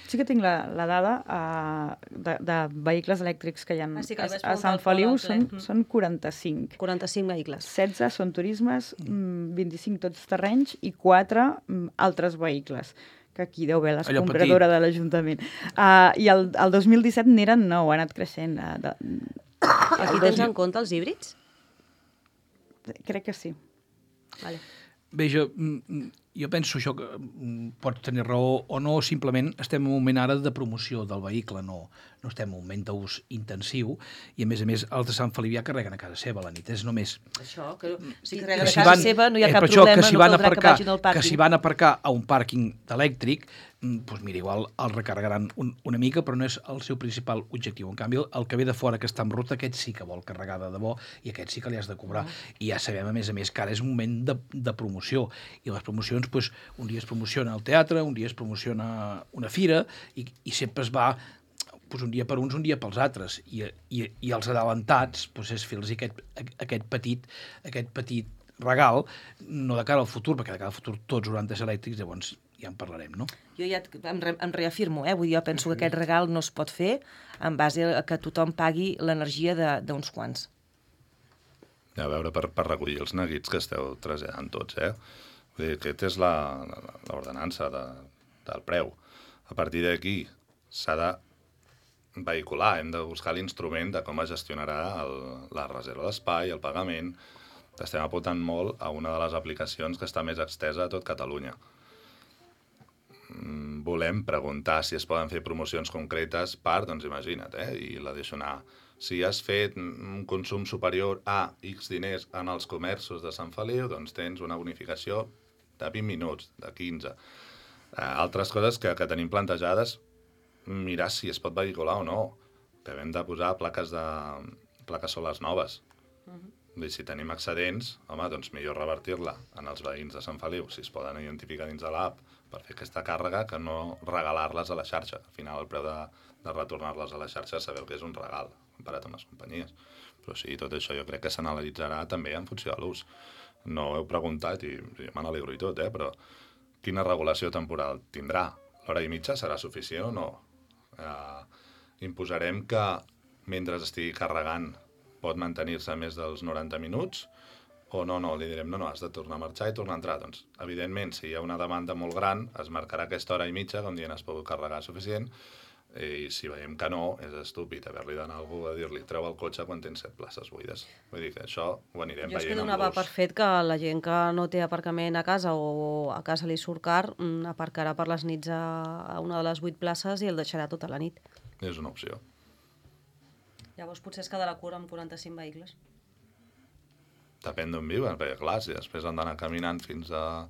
Speaker 2: Sí que tinc la, la dada uh, de, de vehicles elèctrics que hi ha
Speaker 7: ah, sí, que
Speaker 2: a, a Sant Feliu, són, són quaranta-cinc.
Speaker 7: quaranta-cinc vehicles.
Speaker 2: setze són turismes, mm. vint-i-cinc tots terrenys i quatre mm, altres vehicles, que aquí deu haver l'escombradora de l'Ajuntament. Uh, I el, el dos mil disset n'eren nou, ha anat creixent. Uh, de,
Speaker 7: Aquí tens en compte els híbrids?
Speaker 2: Crec que sí.
Speaker 7: Vale.
Speaker 6: Bé, jo, jo penso això que pots tenir raó o no, simplement estem en un moment ara de promoció del vehicle, no, no estem en un moment d'ús intensiu, i a més a més els de Sant Feliu ja carreguen a casa seva a la nit, és només...
Speaker 5: Això, que si
Speaker 6: que
Speaker 5: carreguen a
Speaker 6: si
Speaker 5: casa
Speaker 6: van-
Speaker 5: seva no hi ha
Speaker 6: eh,
Speaker 5: cap
Speaker 6: per això,
Speaker 5: problema,
Speaker 6: que si
Speaker 5: no
Speaker 6: van
Speaker 5: caldrà
Speaker 6: aparcar,
Speaker 5: que vagin al
Speaker 6: que
Speaker 5: pàrquing.
Speaker 6: si van a aparcar a un pàrquing elèctric, doncs mira, igual el recarregaran un, una mica, però no és el seu principal objectiu. En canvi, el que ve de fora, que està en ruta, aquest sí que vol carregar de debò i aquest sí que li has de cobrar. I ja sabem, a més a més, que ara és un moment de, de promoció. I les promocions, doncs, un dia es promociona al teatre, un dia es promociona una fira, i, i sempre es va doncs, un dia per uns, un dia pels altres. I, i, i els adelantats, doncs, és fer-los aquest, aquest, petit, aquest petit regal, no de cara al futur, perquè de cara al futur tots hauran de ser elèctrics, llavors ja en parlarem, no?
Speaker 5: Jo ja em, re, em reafirmo, eh? Vull dir, jo penso que aquest regal no es pot fer en base a que tothom pagui l'energia d'uns quants.
Speaker 4: A veure, per, per recollir els neguits que esteu traslladant tots, eh? Vull dir, aquesta és l'ordenança de, del preu. A partir d'aquí s'ha de vehicular, hem de buscar l'instrument de com es gestionarà el, la reserva d'espai, el pagament. Estem apuntant molt a una de les aplicacions que està més extesa a tot Catalunya. Volem preguntar si es poden fer promocions concretes per, doncs imagina't, eh? I la deixo anar. Si has fet un consum superior a X diners en els comerços de Sant Feliu, doncs tens una bonificació de vint minuts, de quinze. Eh, altres coses que, que tenim plantejades, mirar si es pot vehicular o no. Que hem de posar plaques, de, plaques solars noves. Uh-huh. Si tenim excedents, home, doncs millor revertir-la en els veïns de Sant Feliu, si es poden identificar dins de l'app, per fer aquesta càrrega, que no regalar-les a la xarxa. Al final, el preu de, de retornar-les a la xarxa sabeu que és un regal, comparat amb les companyies. Però sí, tot això jo crec que s'analitzarà també en funció de l'ús. No ho heu preguntat i, i me n'alegro i tot, eh? Però quina regulació temporal tindrà? L'hora i mitja serà suficient o no? Eh, imposarem que mentre estigui carregant pot mantenir-se més dels noranta minuts, o no, no, li direm, no, no, has de tornar a marxar i tornar a entrar. Doncs, evidentment, si hi ha una demanda molt gran, es marcarà aquesta hora i mitja, com dient, has pogut carregar suficient, i si veiem que no, és estúpid haver-li d'anar a algú a dir-li, treu el cotxe quan tens set places buides. Vull dir que això ho anirem
Speaker 7: jo és que
Speaker 4: veient amb
Speaker 7: donava
Speaker 4: l'ús.
Speaker 7: per fet que la gent que no té aparcament a casa o a casa li surt car, mm, aparcarà per les nits a, a una de les vuit places i el deixarà tota la nit.
Speaker 4: És una opció.
Speaker 7: Llavors potser es quedarà curt amb quaranta-cinc vehicles.
Speaker 4: Depèn d'on viuen, perquè clar, si després han d'anar caminant fins a...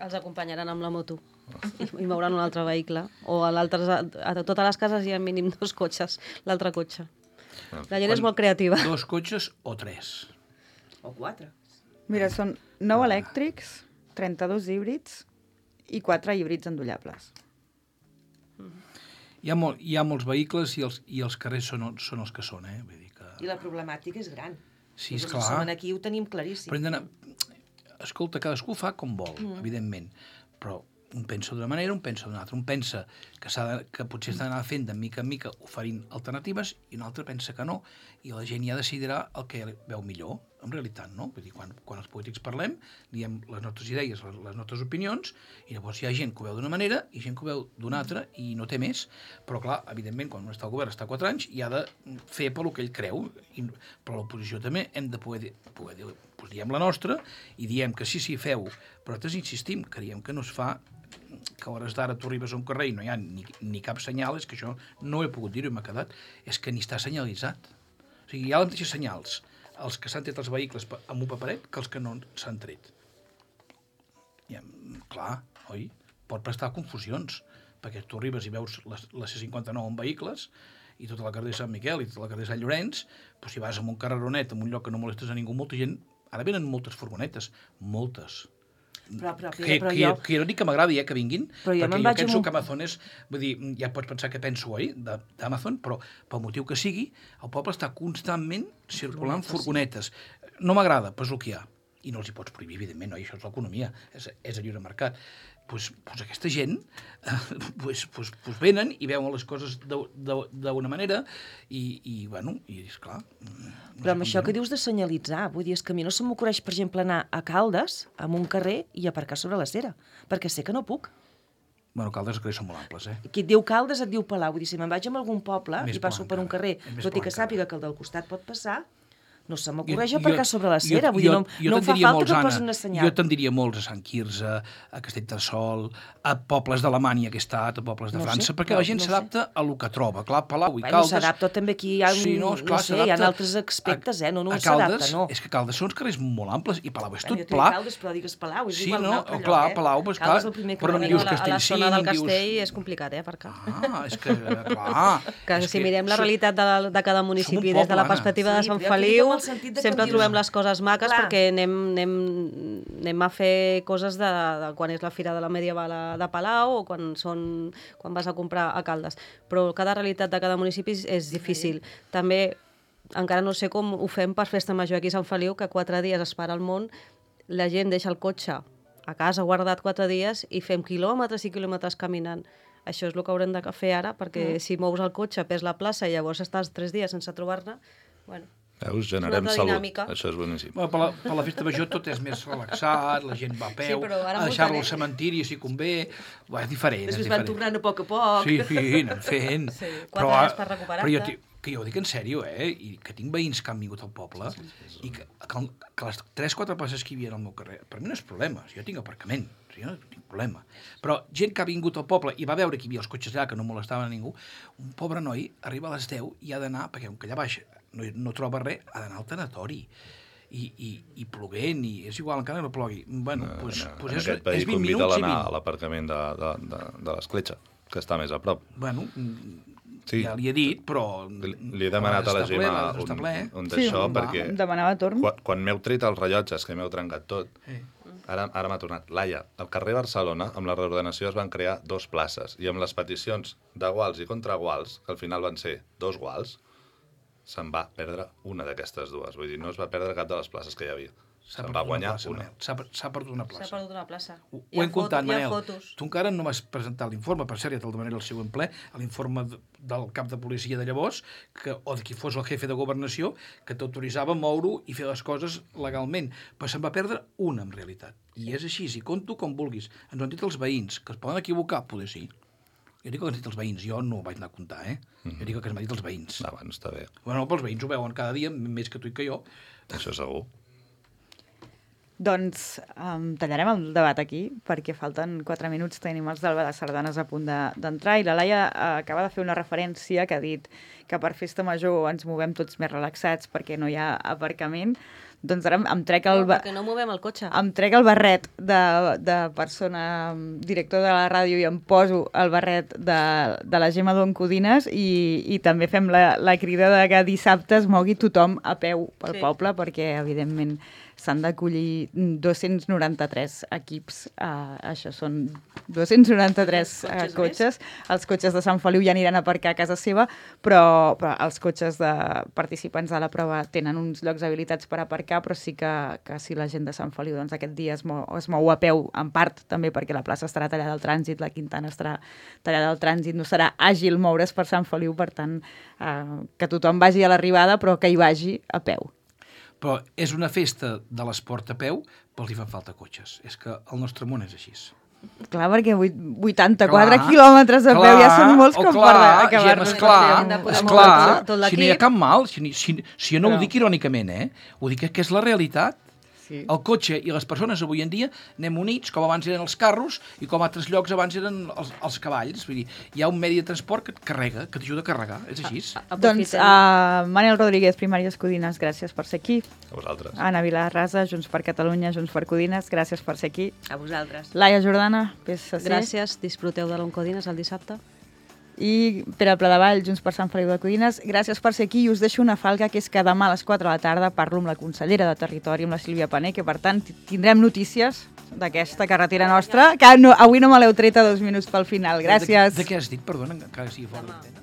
Speaker 7: Els acompanyaran amb la moto i, i mouran un altre vehicle. O a, a, a totes les cases hi ha mínim dos cotxes, l'altre cotxe. La gent és molt creativa.
Speaker 6: Dos cotxes o tres.
Speaker 5: O quatre.
Speaker 2: Mira, són nou elèctrics, trenta-dos híbrids i quatre híbrids endollables.
Speaker 6: Hi ha, molt, hi ha molts vehicles i els, i els carrers són, són els que són, eh? Vull dir que...
Speaker 5: I la problemàtica és gran.
Speaker 6: Sí,
Speaker 5: Nosaltres
Speaker 6: esclar.
Speaker 5: som aquí ho tenim claríssim.
Speaker 6: Però hem d'anar... Escolta, cadascú fa com vol, mm. evidentment, però un pensa d'una manera, un pensa d'una altra. Un pensa que, s'ha de, que potser s'ha d'anar fent de mica en mica oferint alternatives i un altre pensa que no, i la gent ja decidirà el que veu millor, en realitat, no? Vull dir, quan, quan els polítics parlem, diem les nostres idees, les, les nostres opinions, i llavors hi ha gent que ho veu d'una manera i gent que ho veu d'una altra i no té més. Però, clar, evidentment, quan un està al govern, està quatre anys, i ha de fer pel que ell creu. I, però l'oposició també hem de poder dir, poder dir doncs diem la nostra i diem que sí, sí, feu, però nosaltres insistim, creiem que no es fa, que a hores d'ara tu arribes a un carrer i no hi ha ni, ni cap senyal, és que això no ho he pogut dir-ho i m'ha quedat, és que ni està senyalitzat. O sigui, hi ha les mateixes senyals, els que s'han tret els vehicles amb un paperet que els que no s'han tret. Ja, clar, oi? Pot prestar confusions, perquè tu arribes i veus la, la C cinquanta-nou amb vehicles i tota la carrer de Sant Miquel i tota la carrer de Sant Llorenç, però si vas a un carreronet, en un lloc que no molestes a ningú, molta gent... Ara venen moltes furgonetes, moltes.
Speaker 5: Però, però,
Speaker 6: que,
Speaker 5: però
Speaker 6: que,
Speaker 5: jo...
Speaker 6: que jo no dic que m'agradi, eh, que vinguin,
Speaker 5: Però jo
Speaker 6: perquè
Speaker 5: me'n
Speaker 6: jo
Speaker 5: vaig
Speaker 6: penso
Speaker 5: amb un-
Speaker 6: que Amazon és... Vull dir, ja pots pensar que penso, oi, de- d'Amazon, però pel motiu que sigui, el poble està constantment circulant furgonetes. No m'agrada, però és el que hi ha. I no els hi pots prohibir, evidentment, no? I això és l'economia, és, és el lliure mercat. Pues, pues aquesta gent eh, pues, pues, pues venen i veuen les coses d'una manera i, i bueno, i esclar... No
Speaker 5: Però amb
Speaker 6: sé
Speaker 5: això
Speaker 6: com
Speaker 5: que
Speaker 6: dir-ho.
Speaker 5: dius de senyalitzar, vull dir, és que a mi no se m'ocorreix, per exemple, anar a Caldes, amb un carrer, i aparcar sobre la cera, perquè sé que no puc.
Speaker 6: Bueno, Caldes, els carrers són molt amples, eh?
Speaker 5: Qui et diu Caldes et diu Palau. Vull dir, si me'n vaig a algun poble
Speaker 6: Més
Speaker 5: i passo
Speaker 6: pla
Speaker 5: per un
Speaker 6: encara.
Speaker 5: carrer,
Speaker 6: És més
Speaker 5: tot i
Speaker 6: pla
Speaker 5: que
Speaker 6: encara.
Speaker 5: sàpiga que el del costat pot passar, no se m'ocorreix
Speaker 6: Jo-
Speaker 5: aparcar
Speaker 6: jo-
Speaker 5: sobre la
Speaker 6: jo-
Speaker 5: cera. Vull dir,
Speaker 6: jo-
Speaker 5: no,
Speaker 6: jo
Speaker 5: no em fa
Speaker 6: te'n diria
Speaker 5: falta
Speaker 6: molts,
Speaker 5: que
Speaker 6: Anna.
Speaker 5: posin un senyal.
Speaker 6: Jo te'n diria molts a Sant Quirze, a Castellterçol, a pobles d'Alemanya que he estat, a pobles de
Speaker 5: No ho
Speaker 6: França,
Speaker 5: sé,
Speaker 6: perquè
Speaker 5: no-
Speaker 6: la gent
Speaker 5: no ho
Speaker 6: s'adapta a lo que troba. Clar, Palau i
Speaker 5: Bueno,
Speaker 6: Caldes...
Speaker 5: s'adapta, també aquí hi ha, un,
Speaker 6: Sí, no,
Speaker 5: no,
Speaker 6: esclar,
Speaker 5: sé, hi ha
Speaker 6: s'adapta
Speaker 5: altres aspectes, eh? No, no
Speaker 6: a
Speaker 5: s'adapta,
Speaker 6: Caldes,
Speaker 5: no.
Speaker 6: És que Caldes són uns carrers molt amples i Palau és
Speaker 5: Bueno,
Speaker 6: tot
Speaker 5: jo
Speaker 6: pla.
Speaker 5: dic Caldes, però digues Palau, és
Speaker 6: Sí,
Speaker 5: igual
Speaker 6: no?
Speaker 5: un altre
Speaker 6: Oh,
Speaker 5: lloc,
Speaker 6: clar,
Speaker 5: eh?
Speaker 6: Palau, pues,
Speaker 5: Caldes
Speaker 6: clar,
Speaker 5: el primer que
Speaker 6: però no
Speaker 5: em
Speaker 6: dius
Speaker 5: ve.
Speaker 7: a, la, a la
Speaker 6: Castellcir,
Speaker 7: zona del
Speaker 6: dius-
Speaker 7: Castell és complicat, eh, aparcar.
Speaker 6: Ah, és que, clar...
Speaker 7: Que
Speaker 6: és
Speaker 7: si mirem la
Speaker 6: som-
Speaker 7: realitat de, la, de cada municipi
Speaker 6: poble,
Speaker 7: des de la
Speaker 6: Anna.
Speaker 7: perspectiva de
Speaker 5: Sí,
Speaker 7: Sant
Speaker 5: però jo dic
Speaker 7: Feliu,
Speaker 5: en el sentit de que
Speaker 7: sempre
Speaker 5: em dius-
Speaker 7: trobem les coses maques
Speaker 5: Clar.
Speaker 7: perquè anem, anem, anem a fer coses de, de quan és la Fira de la Medieval a- de Palau o quan, són, quan vas a comprar a Caldes. Però cada realitat de cada municipi és, és difícil. També encara no sé com ho fem per Festa Major aquí a Sant Feliu, que quatre dies es para el món, la gent deixa el cotxe a casa guardat quatre dies i fem quilòmetres i quilòmetres caminant. Això és el que haurem de fer ara, perquè mm. si mous el cotxe, pes la plaça i llavors estàs tres dies sense trobar-ne, bueno,
Speaker 4: Veus, generem
Speaker 7: altra
Speaker 4: salut.
Speaker 7: dinàmica.
Speaker 4: Això és boníssim.
Speaker 6: Bueno, per, la, per la festa major tot és més relaxat, la gent va a peu,
Speaker 7: Sí, però ara
Speaker 6: a
Speaker 7: molta
Speaker 6: deixar-lo al
Speaker 7: gent-
Speaker 6: cementiri si convé, bueno, és diferent.
Speaker 5: Després
Speaker 6: és
Speaker 5: van
Speaker 6: diferent.
Speaker 5: tornant a poc a poc.
Speaker 6: Sí, sí, anem fent.
Speaker 7: Sí, quatre anys per recuperar-te.
Speaker 6: Però jo, ti- que jo ho dic en sèrio, eh? I que tinc veïns que han vingut al poble sí, sí, sí, i que, que, que les tres o quatre places que hi havia al meu carrer, per mi no és problema, jo tinc aparcament, o sigui, jo no tinc problema. Però gent que ha vingut al poble i va veure que hi havia els cotxes allà, que no molestaven a ningú, un pobre noi arriba a les deu i ha d'anar, perquè com que allà baix no, no troba res, ha d'anar al tanatori. I, i, i ploguent, i és igual, encara no plogui. Bueno,
Speaker 4: No,
Speaker 6: pues,
Speaker 4: no,
Speaker 6: pues
Speaker 4: en
Speaker 6: és,
Speaker 4: aquest país
Speaker 6: és vint
Speaker 4: convida
Speaker 6: minuts i
Speaker 4: l'anar a
Speaker 6: vint.
Speaker 4: l'aparcament de, de, de, de l'Escletxa, que està més a prop.
Speaker 6: Bueno,
Speaker 4: Sí.
Speaker 6: ja li he dit, però...
Speaker 4: Li, li he demanat a la
Speaker 6: Està ple,
Speaker 4: Gemma
Speaker 6: està
Speaker 4: un,
Speaker 6: ple.
Speaker 4: un
Speaker 2: Sí,
Speaker 4: d'això,
Speaker 2: va,
Speaker 4: perquè
Speaker 2: em demanava torn.
Speaker 4: quan, quan m'heu tret els rellotges, que m'heu trencat tot,
Speaker 6: Sí.
Speaker 4: ara, ara m'ha tornat. Laia, al carrer Barcelona, amb la reordenació es van crear dos places, i amb les peticions de guals i contraguals, que al final van ser dos guals, se'n va perdre una d'aquestes dues. Vull dir, no es va perdre cap de les places que hi havia.
Speaker 6: S'ha
Speaker 4: Se'n
Speaker 6: perdut
Speaker 4: va
Speaker 6: una
Speaker 4: guanyar
Speaker 6: plaça,
Speaker 4: una.
Speaker 6: Manel. S'ha per- s'ha perdut una
Speaker 7: S'ha
Speaker 6: plaça.
Speaker 7: perdut una plaça.
Speaker 6: Ho,
Speaker 7: Hi
Speaker 6: ho
Speaker 7: ha
Speaker 6: hem comptat,
Speaker 7: foto- hi ha
Speaker 6: Manel.
Speaker 7: fotos.
Speaker 6: Tu encara no m'has presentat l'informe, per cert, ja te'l demanaré al següent ple, l'informe d- del cap de policia de llavors, que, o de qui fos el jefe de governació, que t'autoritzava a moure-ho i fer les coses legalment. Però se'n va perdre una, en realitat. I és així, i conto com vulguis. Ens ho han dit els veïns, que es poden equivocar, poder sí. Jo dic que ens han dit els veïns, jo no ho vaig anar a comptar, eh? Jo dic que ens han dit els veïns.
Speaker 4: Ah, bueno, està bé.
Speaker 6: Bueno, però els veïns ho veuen cada dia, més que tu i que jo.
Speaker 4: Això segur.
Speaker 2: Doncs um, tallarem el debat aquí, perquè falten quatre minuts, tenim els d'Alba de Sardanes a punt de- d'entrar, i la Laia uh, acaba de fer una referència que ha dit que per festa major ens movem tots més relaxats perquè no hi ha aparcament. Doncs ara em, em trec el...
Speaker 7: No,
Speaker 2: ba-
Speaker 7: perquè no movem el cotxe.
Speaker 2: em trec el barret de, de persona mm, director de la ràdio i em poso el barret de, de la Gemma Don Codines i, i també fem la, la crida de que dissabte es mogui tothom a peu pel
Speaker 7: Sí.
Speaker 2: poble, perquè evidentment s'han d'acollir dos-cents noranta-tres equips. Uh, això són dos-cents noranta-tres uh,
Speaker 5: Cotxes
Speaker 2: cotxes. Els cotxes de Sant Feliu ja aniran a aparcar a casa seva, però, però els cotxes de participants de la prova tenen uns llocs habilitats per aparcar, però sí que, que si la gent de Sant Feliu doncs, aquest dia es mou, es mou a peu, en part també perquè la plaça estarà tallada al trànsit, la Quintana estarà tallada al trànsit, no serà àgil moure's per Sant Feliu, per tant, uh, que tothom vagi a l'arribada, però que hi vagi a peu.
Speaker 6: Però és una festa de l'esport a peu, però els hi fan falta cotxes. És que el nostre món és així.
Speaker 2: Clar, perquè vuit- vuitanta-quatre
Speaker 6: Clar,
Speaker 2: quilòmetres a peu ja són molts
Speaker 6: oh,
Speaker 2: com
Speaker 6: clar,
Speaker 2: per acabar-nos.
Speaker 6: Gemma, esclar,
Speaker 7: Hem de poder
Speaker 6: esclar,
Speaker 7: moure tot l'equip.
Speaker 6: si no hi ha cap mal, si, si, si jo no
Speaker 2: Però-
Speaker 6: ho dic irònicament, eh? Ho dic que és la realitat.
Speaker 2: Sí.
Speaker 6: El cotxe i les persones avui en dia anem units, com abans eren els carros i com a altres llocs abans eren els, els cavalls. Vull dir, hi ha un medi de transport que et carrega, que t'ajuda a carregar, és així.
Speaker 2: Doncs, uh, Manel Rodríguez, Primàries Codines, gràcies per ser aquí.
Speaker 4: A vosaltres.
Speaker 2: Anna Vilarrasa, Junts per Catalunya, Junts per Codines, gràcies per ser aquí.
Speaker 5: A vosaltres.
Speaker 2: Laia Jordana, P S C.
Speaker 7: Gràcies, disfruteu de l'Oncodines el dissabte.
Speaker 2: I Pere Pladevall, Junts per Sant Feliu de Codines, gràcies per ser aquí i us deixo una falca, que és que demà a les quatre de la tarda parlo amb la consellera de Territori, amb la Sílvia Pané, que per tant tindrem notícies d'aquesta carretera nostra, que no, avui no me l'heu tret a dos minuts pel final. Gràcies.
Speaker 6: De, de què has dit? Perdona, encara que sigui fora d'antena.